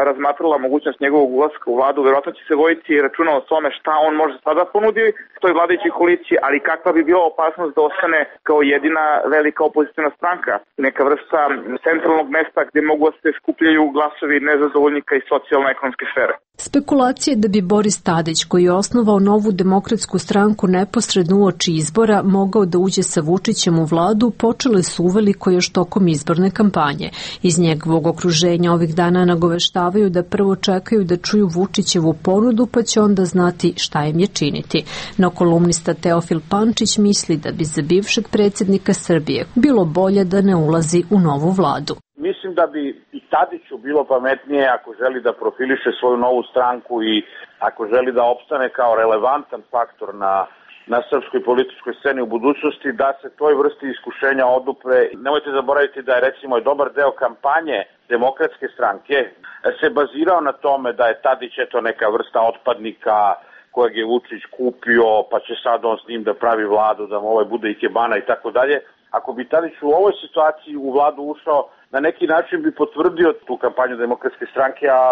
razmatrala mogućnost njegovog ulaska u vladu, verovatno će se voditi računa o tome šta on može sada ponuditi toj vladajućoj koaliciji, ali kakva bi bila opasnost da ostane kao jedina velika opozicijna stranka, neka vrsta centralnog mesta gde mogu da se skupljaju glasovi nezadovoljnika iz socijalno-ekonomske sfere. Spekulacije da bi Boris Tadić, koji je osnovao Novu demokratsku stranku neposredno uoči izbora, mogao da uđe sa Vučićem u vladu, počele su uveliko još tokom izborne kampanje. Iz njegovog okruženja ovih dana nagoveštavaju da prvo čekaju da čuju Vučićevu ponudu, pa će onda znati šta im je činiti. No kolumnista Teofil Pančić misli da bi za bivšeg predsjednika Srbije bilo bolje da ne ulazi u novu vladu. Mislim da bi i Tadiću bilo pametnije ako želi da profiliše svoju novu stranku i ako želi da opstane kao relevantan faktor na, na srpskoj političkoj sceni u budućnosti, da se toj vrsti iskušenja odupre. Nemojte zaboraviti da je recimo i dobar deo kampanje Demokratske stranke se bazirao na tome da je Tadić eto neka vrsta otpadnika kojeg je Vučić kupio, pa će sad on s njim da pravi vladu, da mu ovaj bude ikebana i tako dalje. Ako bi Tadić u ovoj situaciji u vladu ušao, na neki način bi potvrdio tu kampanju Demokratske stranke, a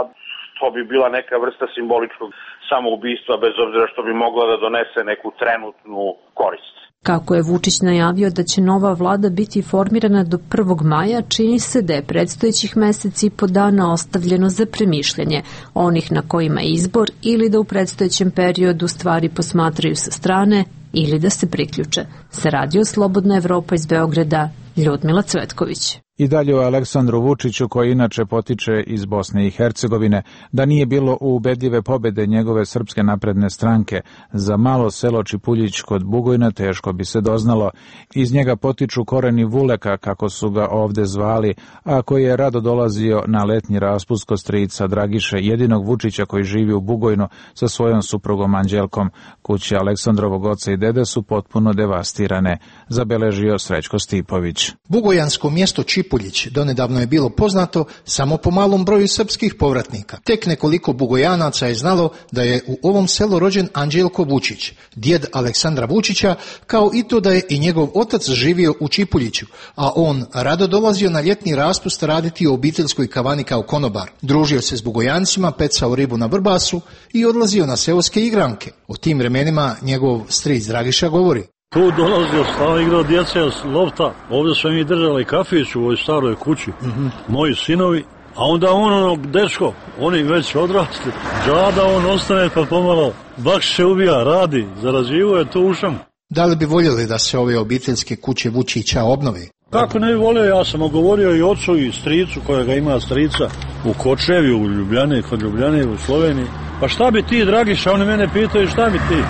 to bi bila neka vrsta simboličkog samoubistva, bez obzira što bi mogla da donese neku trenutnu korist. Kako je Vučić najavio da će nova vlada biti formirana do prvog maja, čini se da je predstojećih meseci i po dana ostavljeno za premišljanje onih na kojima je izbor ili da u predstojećem periodu stvari posmatraju sa strane ili da se priključe. Sa Radio Slobodna Evropa iz Beograda, Ljudmila Cvetković. I dalje o Aleksandru Vučiću, koji inače potiče iz Bosne i Hercegovine, da nije bilo ubedljive pobede njegove Srpske napredne stranke za malo selo Čipuljić kod Bugojna, teško bi se doznalo. Iz njega potiču koreni Vuleka, kako su ga ovde zvali, a koji je rado dolazio na letnji raspust kod strica Dragiše, jedinog Vučića koji živi u Bugojnu sa svojom suprugom Anđelkom. Kuće Aleksandrovog oca i dede su potpuno devastirane, zabeležio Srećko Stipović. Bugojansko mjesto Čipuljić Čipuljić donedavno je bilo poznato samo po malom broju srpskih povratnika. Tek nekoliko Bugojanaca je znalo da je u ovom selu rođen Anđelko Vučić, djed Aleksandra Vučića, kao i to da je i njegov otac živio u Čipuljiću, a on rado dolazio na ljetni raspust raditi u obiteljskoj kavani kao konobar. Družio se s Bugojancima, pecao ribu na Vrbasu i odlazio na seoske igranke. O tim vremenima njegov stric Dragiša govori. Tu dolazio, stao igrao djece s lofta, ovdje smo mi držali kafić u ovoj staroj kući, mm-hmm. moji sinovi, a onda on onog dečko, oni već odrasli, džada on ostane pa pomalo, bakš se ubija, radi, zarađivo je to ušam. Da li bi voljeli da se ove obiteljske kuće Vučića obnove? Kako ne bi volio, ja sam govorio i ocu i stricu kojega ima strica u Kočevju, u Ljubljani, kod Ljubljane, u Sloveniji. Pa šta bi ti, Dragiša, oni mene pitaju šta bi ti?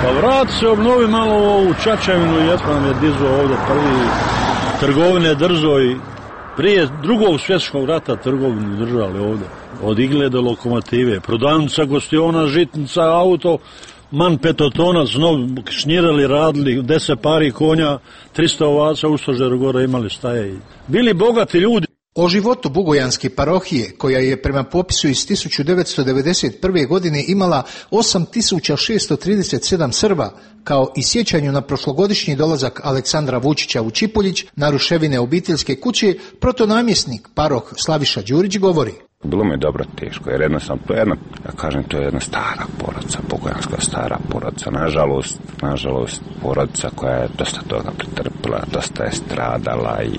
Pa vrat se, obnovi malo ovu Čačevinu, jetko nam je dizao ovdje prvi trgovine drzo i prije drugog svjetskog rata trgovinu držali ovdje. Od igle do lokomotive, prodavnica, gostiona, žitnica, auto, man petotonac, znov šnjirali, radili, deset pari konja, tristo ovaca u stožeru gore imali staje. Bili bogati ljudi. O životu Bugojanske parohije, koja je prema popisu iz tisuću devetsto devedeset prve. godine imala osam tisuća šesto trideset sedam Srba, kao i sjećanju na prošlogodišnji dolazak Aleksandra Vučića u Čipuljić na ruševine obiteljske kuće, protonamjesnik paroh Slaviša Đurić govori. Bilo mi je dobro teško, jer jednostavno to je jedna, ja kažem, to je jedna stara porodica, bugojanska stara porodica, nažalost, nažalost, porodica koja je dosta toga pretrpila, dosta je stradala i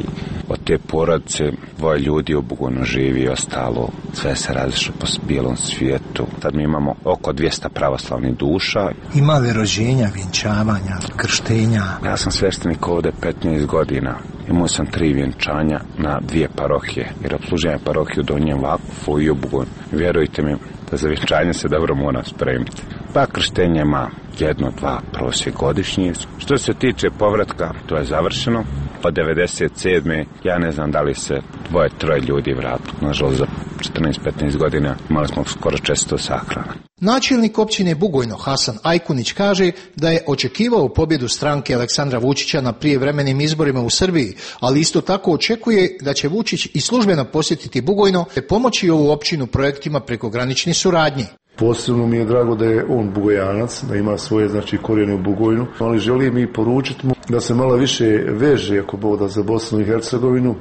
od te porodice dvoje ljudi u Bugojnu živi i ostalo, sve se razišlo po bijelom svijetu. Sad mi imamo oko dvjesto pravoslavnih duša. Ima li rođenja, vjenčavanja, krštenja? Ja sam sveštenik ovdje petnaest godina. Imao sam tri vjenčanja na dvije parohije, jer obslužujem parohiju u Donjem Vakufu i u Bugojnu. Vjerujte mi da za vjenčanje se dobro mora spremiti. Pa krštenje ima jedno, dva prosjek godišnji. Što se tiče povratka, to je završeno. Od devedeset sedme. ja ne znam da li se dvoje, troje ljudi vratilo. Nažalost, za četrnaest petnaest godina imali smo skoro često sahrana. Načelnik općine Bugojno Hasan Ajkunić kaže da je očekivao pobjedu stranke Aleksandra Vučića na prijevremenim izborima u Srbiji, ali isto tako očekuje da će Vučić i službeno posjetiti Bugojno te pomoći ovu općinu projektima prekogranične suradnje. Posebno mi je drago da je on Bugojanac, da ima svoje znači korijene u Bugojnu, ali želim i poručiti mu da se malo više veže ako Bog da za Bosnu i Hercegovinu.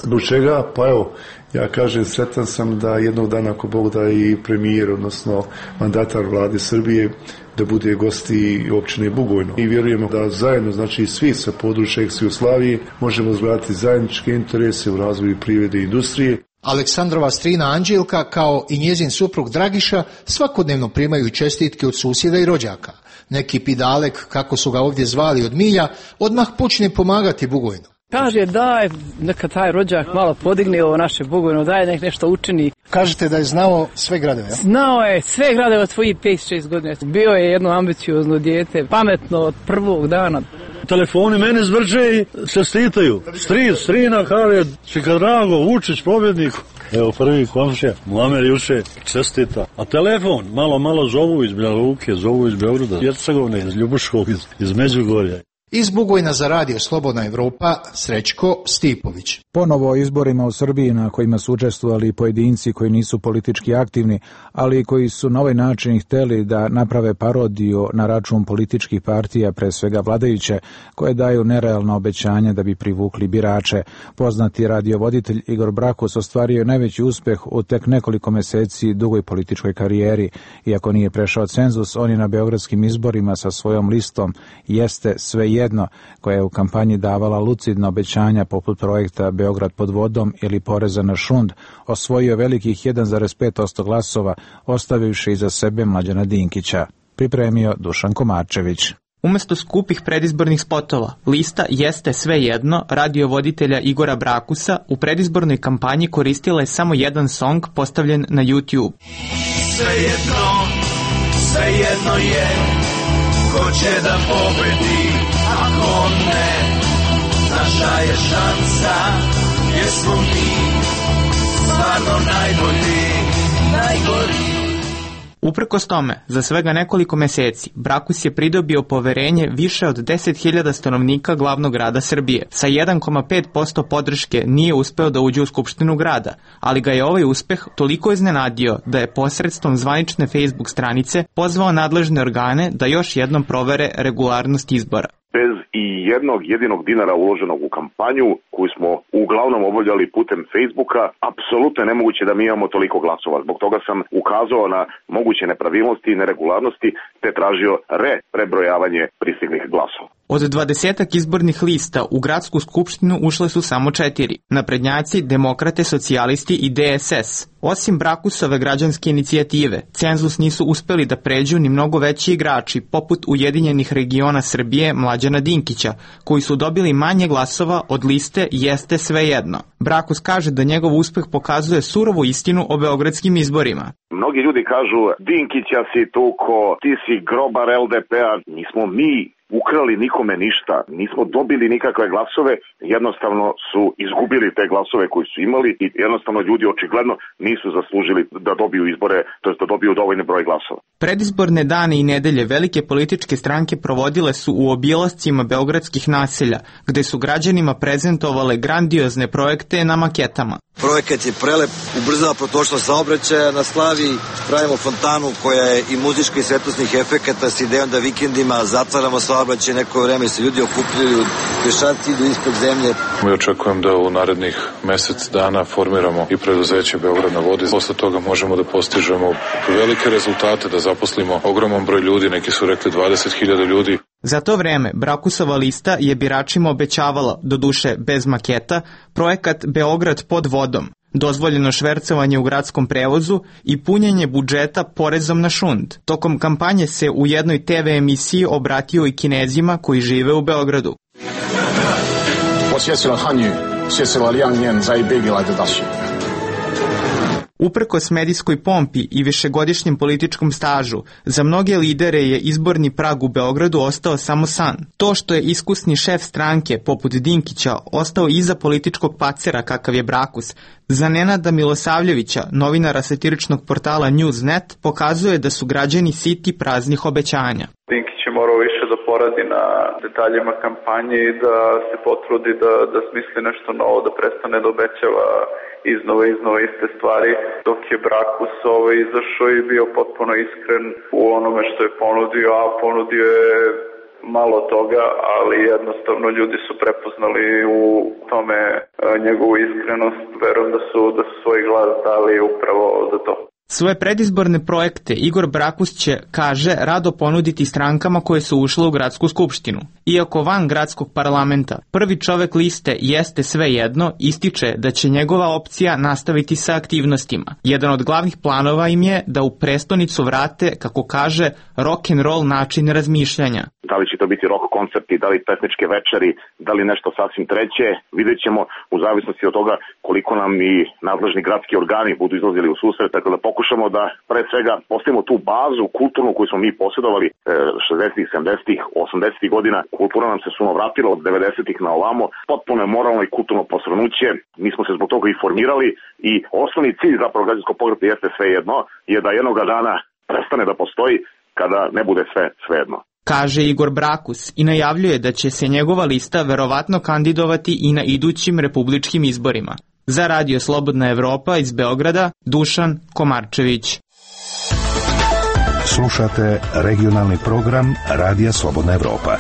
Zbog čega? Pa evo, ja kažem, sretan sam da jednog dana ako Bog da i premijer, odnosno mandatar vlade Srbije, da bude gosti općine Bugojno. I vjerujemo da zajedno, znači svi sa područja ex-Jugoslavije, možemo izgledati zajedničke interese u razvoju privrede i industrije. Aleksandrova strina Anđelka, kao i njezin suprug Dragiša, svakodnevno primaju čestitke od susjeda i rođaka. Neki pidalek, kako su ga ovdje zvali od milja, odmah počne pomagati Bugojnu. Kaže daj, neka taj rođak malo podigne ovo naše Bugojno, daj nek nešto učini. Kažete da je znao sve gradove, ja? Znao je sve gradove od svojih pet šest godina. Bio je jedno ambiciozno dijete, pametno od prvog dana. Telefoni mene zvrče i čestitaju. Stri, strina, kaže, čeka drago, Vučić, pobjedniku. Evo prvi komšija, Muamer juče čestita. A telefon, malo, malo zovu iz Banja Luke, zovu iz Beograda, Hercegovine, iz Ljubuškog, iz, iz Međugorja. Iz Bugojna za radio Slobodna Evropa, Srećko Stipović. Ponovo o izborima u Srbiji na kojima su učestvovali pojedinci koji nisu politički aktivni, ali koji su na ovaj način hteli da naprave parodiju na račun političkih partija, pre svega vladajuće, koje daju nerealno obećanje da bi privukli birače. Poznati radiovoditelj Igor Brakus ostvario je najveći uspeh u tek nekoliko meseci dugoj političkoj karijeri. Iako nije prešao cenzus, on je na beogradskim izborima sa svojom listom Jeste sve jedno, koja je u kampanji davala lucidna obećanja poput projekta Beograd pod vodom ili poreza na šund, osvojio velikih jedan zarez pet posto glasova, ostavivši iza sebe Mlađana Dinkića. Pripremio Dušan Komarčević. Umesto skupih predizbornih spotova, lista Jeste sve jedno radiovoditelja Igora Brakusa u predizbornoj kampanji koristila je samo jedan song postavljen na YouTube. Sve jedno, sve jedno je, ko će da pobedi, ako ne, naša je šansa, jer smo mi stvarno najbolji, najgori. Uprkos tome, za svega nekoliko meseci, Brakus je pridobio poverenje više od deset hiljada stanovnika glavnog grada Srbije. Sa jedan zarez pet posto podrške nije uspeo da uđe u Skupštinu grada, ali ga je ovaj uspeh toliko iznenadio da je posredstvom zvanične Facebook stranice pozvao nadležne organe da još jednom provere regularnost izbora. Bez i jednog jedinog dinara uloženog u kampanju koju smo uglavnom obavljali putem Facebooka, apsolutno je nemoguće da mi imamo toliko glasova. Zbog toga sam ukazao na moguće nepravilnosti i neregularnosti te tražio re prebrojavanje pristiglih glasova. Od dvadesetak izbornih lista u gradsku skupštinu ušle su samo četiri. Naprednjaci, demokrate, socijalisti i D S S. Osim Brakusove građanske inicijative, cenzus nisu uspeli da pređu ni mnogo veći igrači, poput Ujedinjenih regiona Srbije Mlađana Dinkića, koji su dobili manje glasova od liste Jeste svejedno. Brakus kaže da njegov uspeh pokazuje surovu istinu o beogradskim izborima. Mnogi ljudi kažu, Dinkića si tuko, ti si grobar L D P-a, nismo mi ukrali nikome ništa, nismo dobili nikakve glasove, jednostavno su izgubili te glasove koji su imali i jednostavno ljudi očigledno nisu zaslužili da dobiju izbore, to jest da dobiju dovoljni broj glasova. Predizborne dane i nedelje velike političke stranke provodile su u obilascima beogradskih naselja, gde su građanima prezentovale grandiozne projekte na maketama. Projekat je prelep, ubrzava protočnost saobraćaja na Slaviji, pravimo fontanu koja je i muzička i svetlosnih efekata s idejom da vikendima zatvaramo saobraćaj, neko vreme se ljudi okupljaju, pešaci idu ispod zemlje. Mi očekujem da u narednih mesec dana formiramo i preduzeće Beograd na vodi. Posle toga možemo da postižemo velike rezultate, da zaposlimo ogroman broj ljudi, neki su rekli dvadeset hiljada ljudi. Za to vreme Brakusova lista je biračima obećavala, doduše bez maketa, projekat Beograd pod vodom, dozvoljeno švercovanje u gradskom prevozu i punjenje budžeta porezom na šund. Tokom kampanje se u jednoj T V emisiji obratio i Kinezima koji žive u Beogradu. Uprkos medijskoj pompi i višegodišnjem političkom stažu, za mnoge lidere je izborni prag u Beogradu ostao samo san. To što je iskusni šef stranke, poput Dinkića, ostao iza političkog pacera kakav je Brakus, za Nenada Milosavljevića, novinara satiričnog portala Newsnet, pokazuje da su građani siti praznih obećanja. Dinkić je morao više da poradi na detaljima kampanje i da se potrudi da, da smisli nešto novo, da prestane da obećava iznova iznova iste stvari, dok je Brakus ovaj izašao i bio potpuno iskren u onome što je ponudio, a ponudio je malo toga, ali jednostavno ljudi su prepoznali u tome njegovu iskrenost. Verujem da su, da su svoj glas dali upravo za to. Svoje predizborne projekte Igor Brakus će, kaže, rado ponuditi strankama koje su ušle u gradsku skupštinu. Iako van gradskog parlamenta, prvi čovek liste Jeste svejedno ističe da će njegova opcija nastaviti sa aktivnostima. Jedan od glavnih planova im je da u prestonicu vrate, kako kaže, rock and roll način razmišljanja. Da li će to biti rock koncerti, da li pesničke večeri, da li nešto sasvim treće, vidjet ćemo u zavisnosti od toga koliko nam i nadležni gradski organi budu izlazili u susret, tako da pokušamo da pre svega postavimo tu bazu kulturnu koju smo mi posjedovali šezdesetih, sedamdesetih, osamdesetih godina. Kultura nam se suno vratila od devedesetih na ovamo, potpuno je moralno i kulturno posrnuće. Mi smo se zbog toga i formirali i osnovni cilj zapravo građanskog pokreta Jeste svejedno je da jednoga dana prestane da postoji kada ne bude sve svejedno. Kaže Igor Brakus i najavljuje da će se njegova lista verovatno kandidovati i na idućim republičkim izborima. Za Radio Slobodna Evropa iz Beograda, Dušan Komarčević. Slušate regionalni program Radija Slobodna Evropa.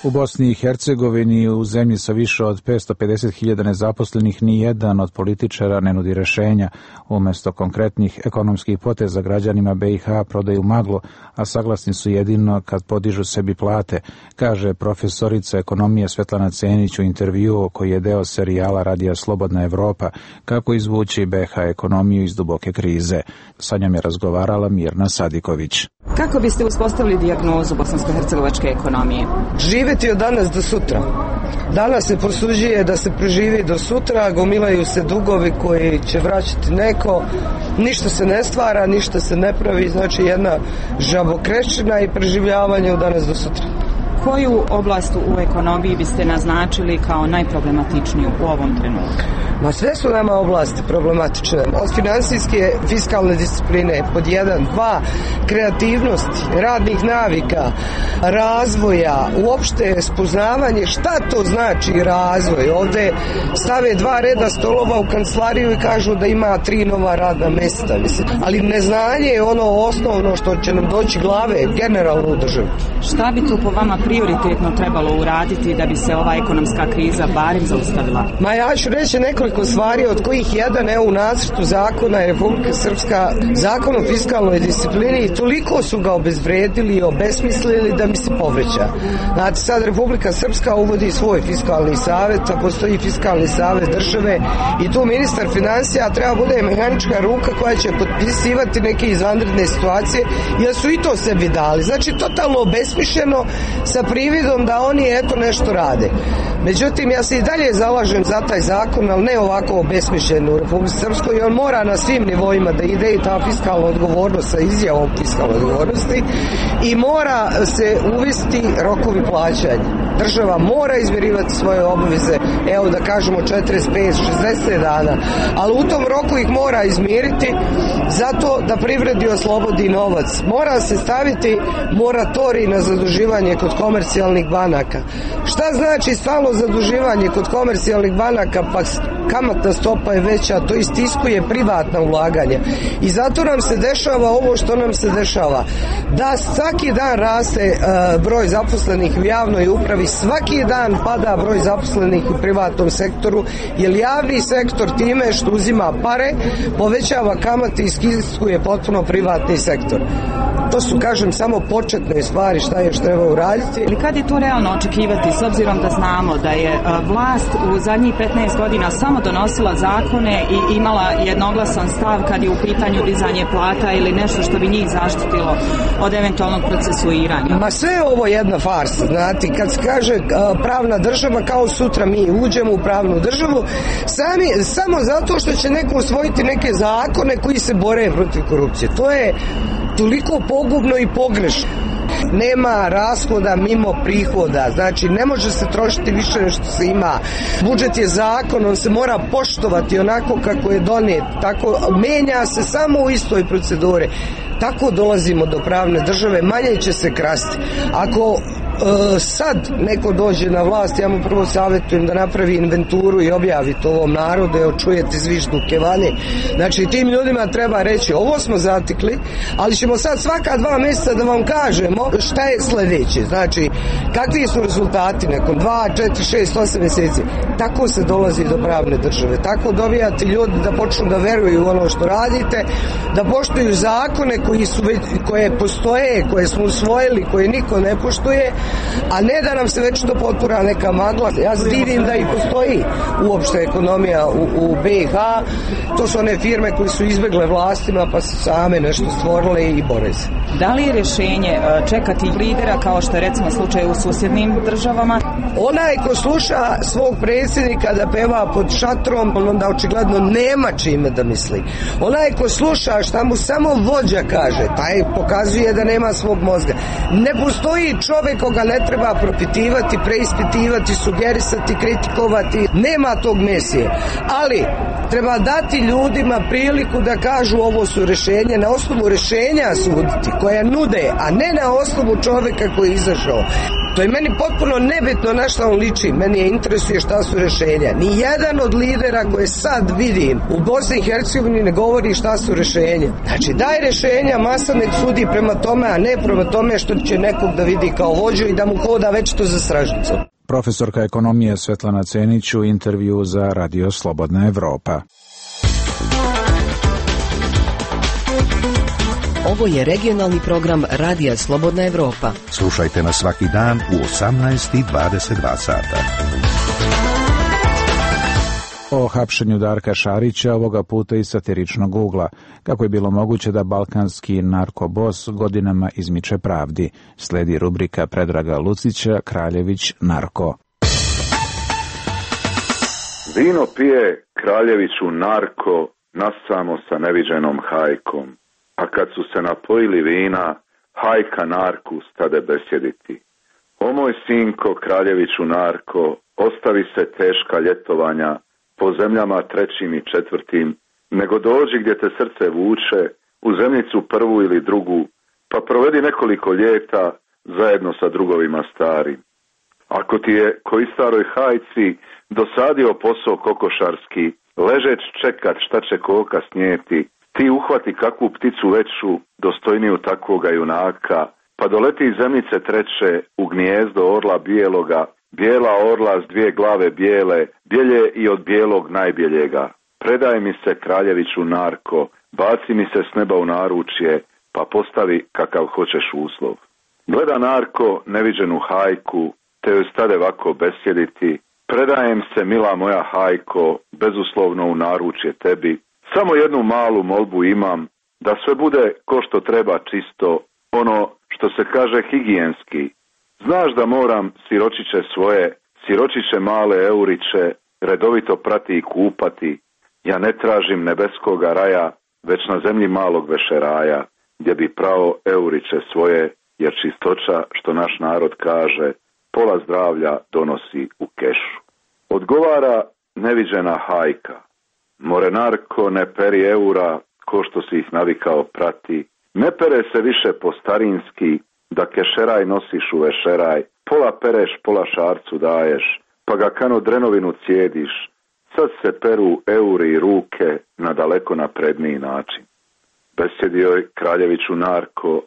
U Bosni i Hercegovini, u zemlji sa više od petsto pedeset hiljada nezaposlenih, ni jedan od političara ne nudi rešenja. Umesto konkretnih ekonomskih poteza građanima B i H prodaju maglu, a saglasni su jedino kad podižu sebi plate, kaže profesorica ekonomije Svetlana Cenić u intervjuu koji je deo serijala Radija Slobodna Evropa, kako izvući B H ekonomiju iz duboke krize. Sa njom je razgovarala Mirna Sadiković. Kako biste uspostavili dijagnozu bosansko-hercegovačke ekonomije? Živeti od danas do sutra. Danas se prosuđuje da se preživi do sutra, gomilaju se dugovi koji će vraćati neko, ništa se ne stvara, ništa se ne pravi, znači jedna žabokrečina i preživljavanje od danas do sutra. Koju oblast u ekonomiji biste naznačili kao najproblematičniju u ovom trenutku? Ma sve su nama oblasti problematične. Od finansijske, fiskalne discipline pod jedan, dva, kreativnosti, radnih navika, razvoja, uopšte spoznavanje šta to znači razvoj. Ovde stave dva reda stolova u kancelariju i kažu da ima tri nova radna mesta. Mislim. Ali neznanje je ono osnovno što će nam doći glave generalno u državi. Šta bi tu po vama prioritetno trebalo uraditi da bi se ova ekonomska kriza barem zaustavila? Ma ja ću reći nekoliko stvari, od kojih jedan, evo u nacrtu zakona je Republika Srpska zakon o fiskalnoj disciplini i toliko su ga obezvredili i obesmislili da mi se povreća. Znači sad Republika Srpska uvodi svoj fiskalni savet, a postoji fiskalni savet države i tu ministar financija treba bude mehanička ruka koja će potpisivati neke izvanredne situacije, jer su i to sebi dali. Znači totalno obesmišljeno sa prividom da oni eto nešto rade. Međutim, ja se i dalje zalažem za taj zakon, ali ne ovako obesmišljen u Republici Srpskoj i on mora na svim nivoima da ide i ta fiskalna odgovornost sa izjavom fiskalne odgovornosti i mora se uvesti rokovi plaćanja. Država mora izmirivati svoje obaveze, evo da kažemo četrdeset pet šezdeset dana, ali u tom roku ih mora izmiriti zato da privredi oslobodi novac. Mora se staviti moratorij na zaduživanje kod komercijalnih banaka. Šta znači stalno zaduživanje kod komercijalnih banaka, pa kamatna stopa je veća, to istiskuje privatna ulaganja. I zato nam se dešava ovo što nam se dešava. Da svaki dan raste uh, broj zaposlenih u javnoj upravi, svaki dan pada broj zaposlenih u privatnom sektoru, jer javni sektor time što uzima pare, povećava kamate i istiskuje potpuno privatni sektor. To su, kažem, samo početne stvari šta je što treba uraditi. Ali kad je to realno očekivati, s obzirom da znamo da je vlast u zadnjih petnaest godina samo donosila zakone i imala jednoglasan stav kad je u pitanju dizanje plata ili nešto što bi njih zaštitilo od eventualnog procesuiranja? Ma sve je ovo jedna farsa, znate, kad se kaže pravna država, kao sutra mi uđemo u pravnu državu, sami, samo zato što će neko usvojiti neke zakone koji se bore protiv korupcije. To je toliko pogubno i pogrešno. Nema rashoda mimo prihoda, znači ne može se trošiti više nego što se ima. Budžet je zakon, on se mora poštovati onako kako je donijet, tako menja se samo u istoj proceduri. Tako dolazimo do pravne države, manje će se krasti. Ako e, sad neko dođe na vlast, ja mu prvo savjetujem da napravi inventuru i objavi to ovom narodu, evo čujete zvižduke vani. Znači tim ljudima treba reći, ovo smo zatikli, ali ćemo sad svaka dva mjeseca da vam kažemo šta je sljedeće. Znači, kakvi su rezultati nakon dva, četiri, šest, osam mjeseci. Tako se dolazi do pravne države. Tako dobijate ljudi da počnu da veruju u ono što radite, da poštuju zakone koji su već, koje postoje, koje smo usvojili, koje niko ne poštuje, a ne da nam se već to potpura neka magla. Ja se divim da i postoji uopšte ekonomija u, u B i H. To su one firme koje su izbjegle vlastima pa su same nešto stvorile i bore se. Da li je rješenje čekati lidera kao što je recimo slučaj u susjednim državama? Onaj ko sluša svog predsjednika da peva pod šatrom, onda očigledno nema čime da misli. Onaj ko sluša šta mu samo vođa kaže, taj pokazuje da nema svog mozga. Ne postoji čovjek koga ne treba propitivati, preispitivati, sugerisati, kritikovati. Nema tog mesije. Ali treba dati ljudima priliku da kažu ovo su rješenje, na osnovu rješenja suditi, koja nude, a ne na osnovu čovjeka koji je izašao. To je meni potpuno nebitno na šta on liči. Meni je interesuje šta su rješenja. Ni jedan od lidera koje sad vidim u Bosni i Hercegovini ne govori šta su rješenja. Znači daj rješenja, masa nek sudi prema tome, a ne prema tome što će nekog da vidi kao vođu i da mu hoda već to za stražnicom. Profesorka ekonomije Svetlana Cenić u intervju za Radio Slobodna Evropa. Ovo je regionalni program Radija Slobodna Evropa. Slušajte nas svaki dan u osamnaest i dvadeset dva sata. O hapšenju Darka Šarića, ovoga puta iz satiričnog ugla, kako je bilo moguće da balkanski narkobos godinama izmiče pravdi. Sledi rubrika Predraga Lucića, Kraljević narko. Vino pije Kraljeviću narko, nasamo sa neviđenom hajkom. A kad su se napojili vina, hajka narku stade besjediti. O moj sinko, Kraljeviću narko, ostavi se teška ljetovanja, po zemljama trećim i četvrtim, nego dođi gdje te srce vuče, u zemljicu prvu ili drugu, pa provedi nekoliko ljeta zajedno sa drugovima starim. Ako ti je koji staroj hajci dosadio posao kokošarski, ležeć čekat šta će koka snijeti, ti uhvati kakvu pticu veću, dostojniju takvoga junaka, pa doleti iz zemljice treće u gnijezdo orla bijeloga, bijela orla s dvije glave bijele, bjelje i od bijelog najbjeljega. Predaj mi se, kraljeviću narko, baci mi se s neba u naručje, pa postavi kakav hoćeš uslov. Gleda narko neviđenu hajku, te joj stade ovako besjediti, predajem se, mila moja hajko, bezuslovno u naručje tebi, samo jednu malu molbu imam, da sve bude ko što treba čisto, ono što se kaže higijenski. Znaš da moram siročiće svoje, siročiće male euriće, redovito prati i kupati. Ja ne tražim nebeskoga raja, već na zemlji malog vešeraja, gdje bi prao euriće svoje, jer čistoća, što naš narod kaže, pola zdravlja donosi u kešu. Odgovara neviđena hajka. More narko, ne peri eura, ko što si ih navikao prati. Ne pere se više po starinski, da kešeraj nosiš u vešeraj. Pola pereš, pola šarcu daješ, pa ga kano drenovinu cijediš. Sad se peru euri i ruke na daleko napredniji način. Besjedi joj, kraljeviću narko,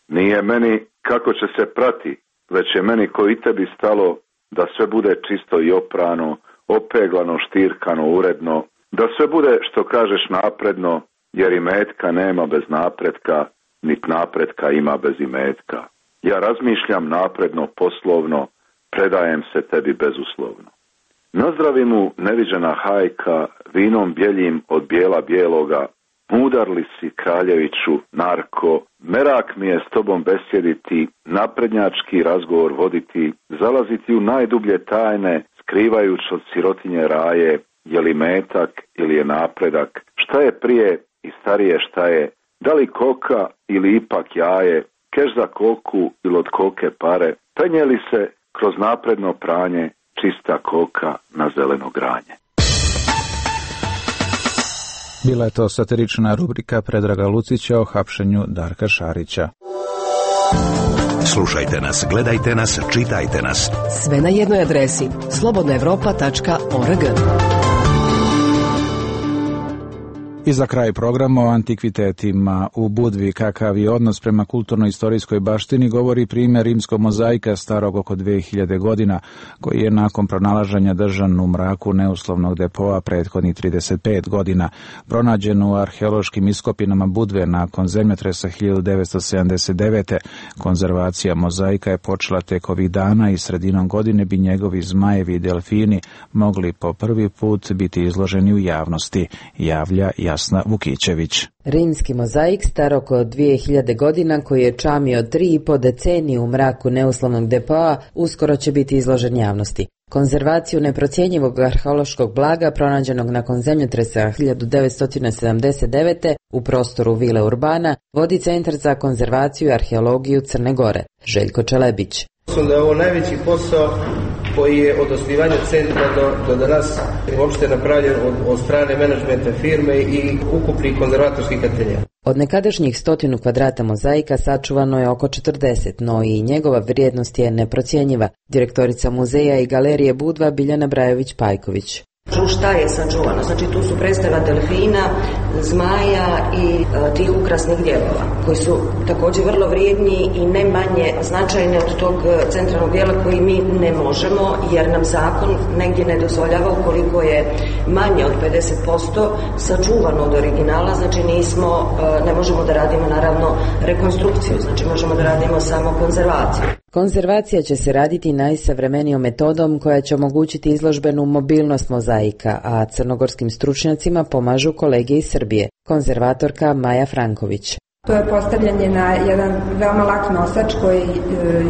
nije meni kako će se prati, već je meni ko i tebi stalo da sve bude čisto i oprano, opeglano, štirkano, uredno, da sve bude, što kažeš, napredno, jer imetka nema bez napretka, nit napretka ima bez imetka. Ja razmišljam napredno, poslovno, predajem se tebi bezuslovno. Nazdravi mu neviđena hajka, vinom bjeljim od bijela bijeloga, mudar li si, kraljeviću narko, merak mi je s tobom besjediti, naprednjački razgovor voditi, zalaziti u najdublje tajne, skrivajući od sirotinje raje, je li metak ili je napredak, šta je prije i starije šta je, da li koka ili ipak jaje, keš za koku ili od koke pare, penje li se kroz napredno pranje, čista koka na zeleno granje. Bila je to satirična rubrika Predraga Lucića o hapšenju Darka Šarića. Slušajte nas, gledajte nas, čitajte nas. Sve na jednoj adresi slobodna evropa tačka org. I za kraj programa o antikvitetima u Budvi, kakav je odnos prema kulturno-istorijskoj baštini, govori primjer rimskog mozaika starog oko dve hiljade godina, koji je nakon pronalaženja držan u mraku neuslovnog depoa prethodnih trideset pet godina. Pronađen u arheološkim iskopinama Budve nakon zemljotresa hiljadu devetsto sedamdeset devete. Konzervacija mozaika je počela tek ovih dana i sredinom godine bi njegovi zmajevi i delfini mogli po prvi put biti izloženi u javnosti, javlja Jasna Vukićević. Rimski mozaik star oko dvije hiljade godina, koji je čamio tri i po decenije u mraku neuslovnog depoa, uskoro će biti izložen javnosti. Konzervaciju neprocjenjivog arheološkog blaga pronađenog nakon zemljotresa hiljadu devetsto sedamdeset devete u prostoru Vile Urbana vodi Centar za konzervaciju i arheologiju Crne Gore. Željko Čelebić. Mislim da je ovo najveći posao koji je od osnivanja centra do, do danas uopšte napravljen od, od strane menadžmenta firme i ukupnih konzervatorskih ateljea. Od nekadašnjih stotinu kvadrata mozaika sačuvano je oko četrdeset, no i njegova vrijednost je neprocjenjiva. Direktorica muzeja i galerije Budva Biljana Brajović-Pajković. Šta je sačuvano? Znači tu su predstava delfina, zmaja i e, tih ukrasnih dijelova, koji su također vrlo vrijedni i ne manje značajni od tog centralnog dijela koji mi ne možemo, jer nam zakon negdje ne dozvoljava ukoliko je manje od pedeset posto sačuvano od originala, znači nismo, e, ne možemo da radimo naravno rekonstrukciju, znači možemo da radimo samo konzervaciju. Konzervacija će se raditi najsavremenijom metodom koja će omogućiti izložbenu mobilnost mozaika, a crnogorskim stručnjacima pomažu kolege iz Srbije. Konzervatorka Maja Franković. To je postavljanje na jedan veoma lak nosač koji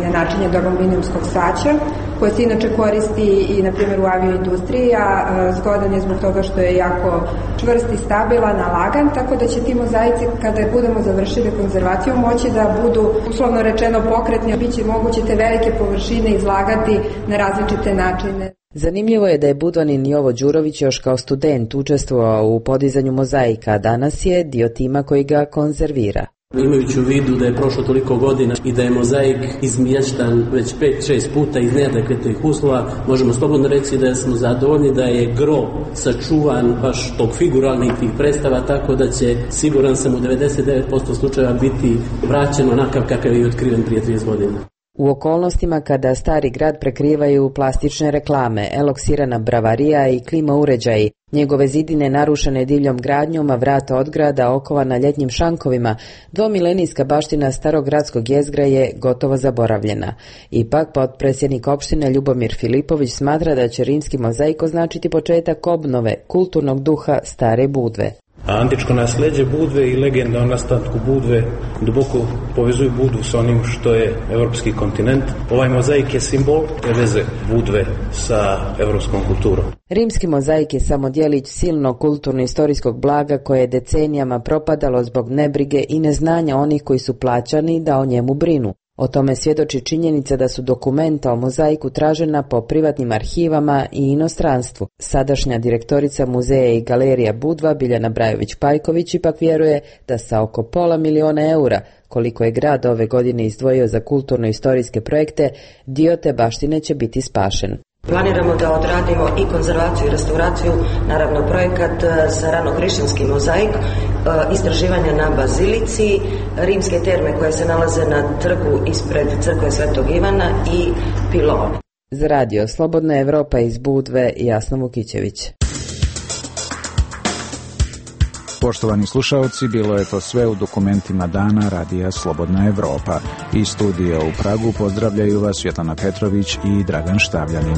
je načinjen od aluminijumskog saća, koji se inače koristi i na primjer u avioindustriji, a zgodan je zbog toga što je jako čvrst i stabilan, lagan, tako da će ti mozaici kada budemo završili konzervaciju moći da budu uslovno rečeno pokretni, biće moguće te velike površine izlagati na različite načine. Zanimljivo je da je Budvanin Jovo Đurović još kao student učestvovao u podizanju mozaika, a danas je dio tima koji ga konzervira. Imajući u vidu da je prošlo toliko godina i da je mozaik izmještan već pet šest puta iz neadekvatnih uslova, možemo slobodno reći da smo zadovoljni da je gro sačuvan baš tog figuralnih tih predstava, tako da će, siguran sam, u devedeset devet posto slučajeva biti vraćen onakav kakav je otkriven prije trideset godina. U okolnostima kada stari grad prekrivaju plastične reklame, eloksirana bravarija i klima uređaji, njegove zidine narušene divljom gradnjom, a vrata od grada okovana ljetnjim šankovima, dvomilenijska baština starog gradskog jezgra je gotovo zaboravljena. Ipak, potpredsjednik opštine Ljubomir Filipović smatra da će rimski mozaik označiti početak obnove kulturnog duha stare Budve. A antičko nasljeđe Budve i legenda o nastanku Budve duboko povezuju Budvu s onim što je evropski kontinent. Ovaj mozaik je simbol te veze Budve sa evropskom kulturom. Rimski mozaik je samo djelić silnog kulturno-istorijskog blaga koje je decenijama propadalo zbog nebrige i neznanja onih koji su plaćani da o njemu brinu. O tome svjedoči činjenica da su dokumenta o mozaiku tražena po privatnim arhivama i inostranstvu. Sadašnja direktorica muzeja i galerija Budva, Biljana Brajović-Pajković, ipak vjeruje da sa oko pola miliona eura, koliko je grad ove godine izdvojio za kulturno-istorijske projekte, dio te baštine će biti spašen. Planiramo da odradimo i konzervaciju i restauraciju, naravno projekat za ranohrišćanski mozaik, istraživanja na bazilici, rimske terme koje se nalaze na trgu ispred crkve Svetog Ivana i pilone. Za radio Slobodna Evropa iz Budve, Jasna Vukićević. Poštovani slušaoci, bilo je to sve u dokumentima dana Radija Slobodna Evropa. Iz studija u Pragu pozdravljaju vas Svetlana Petrović i Dragan Štavljanin.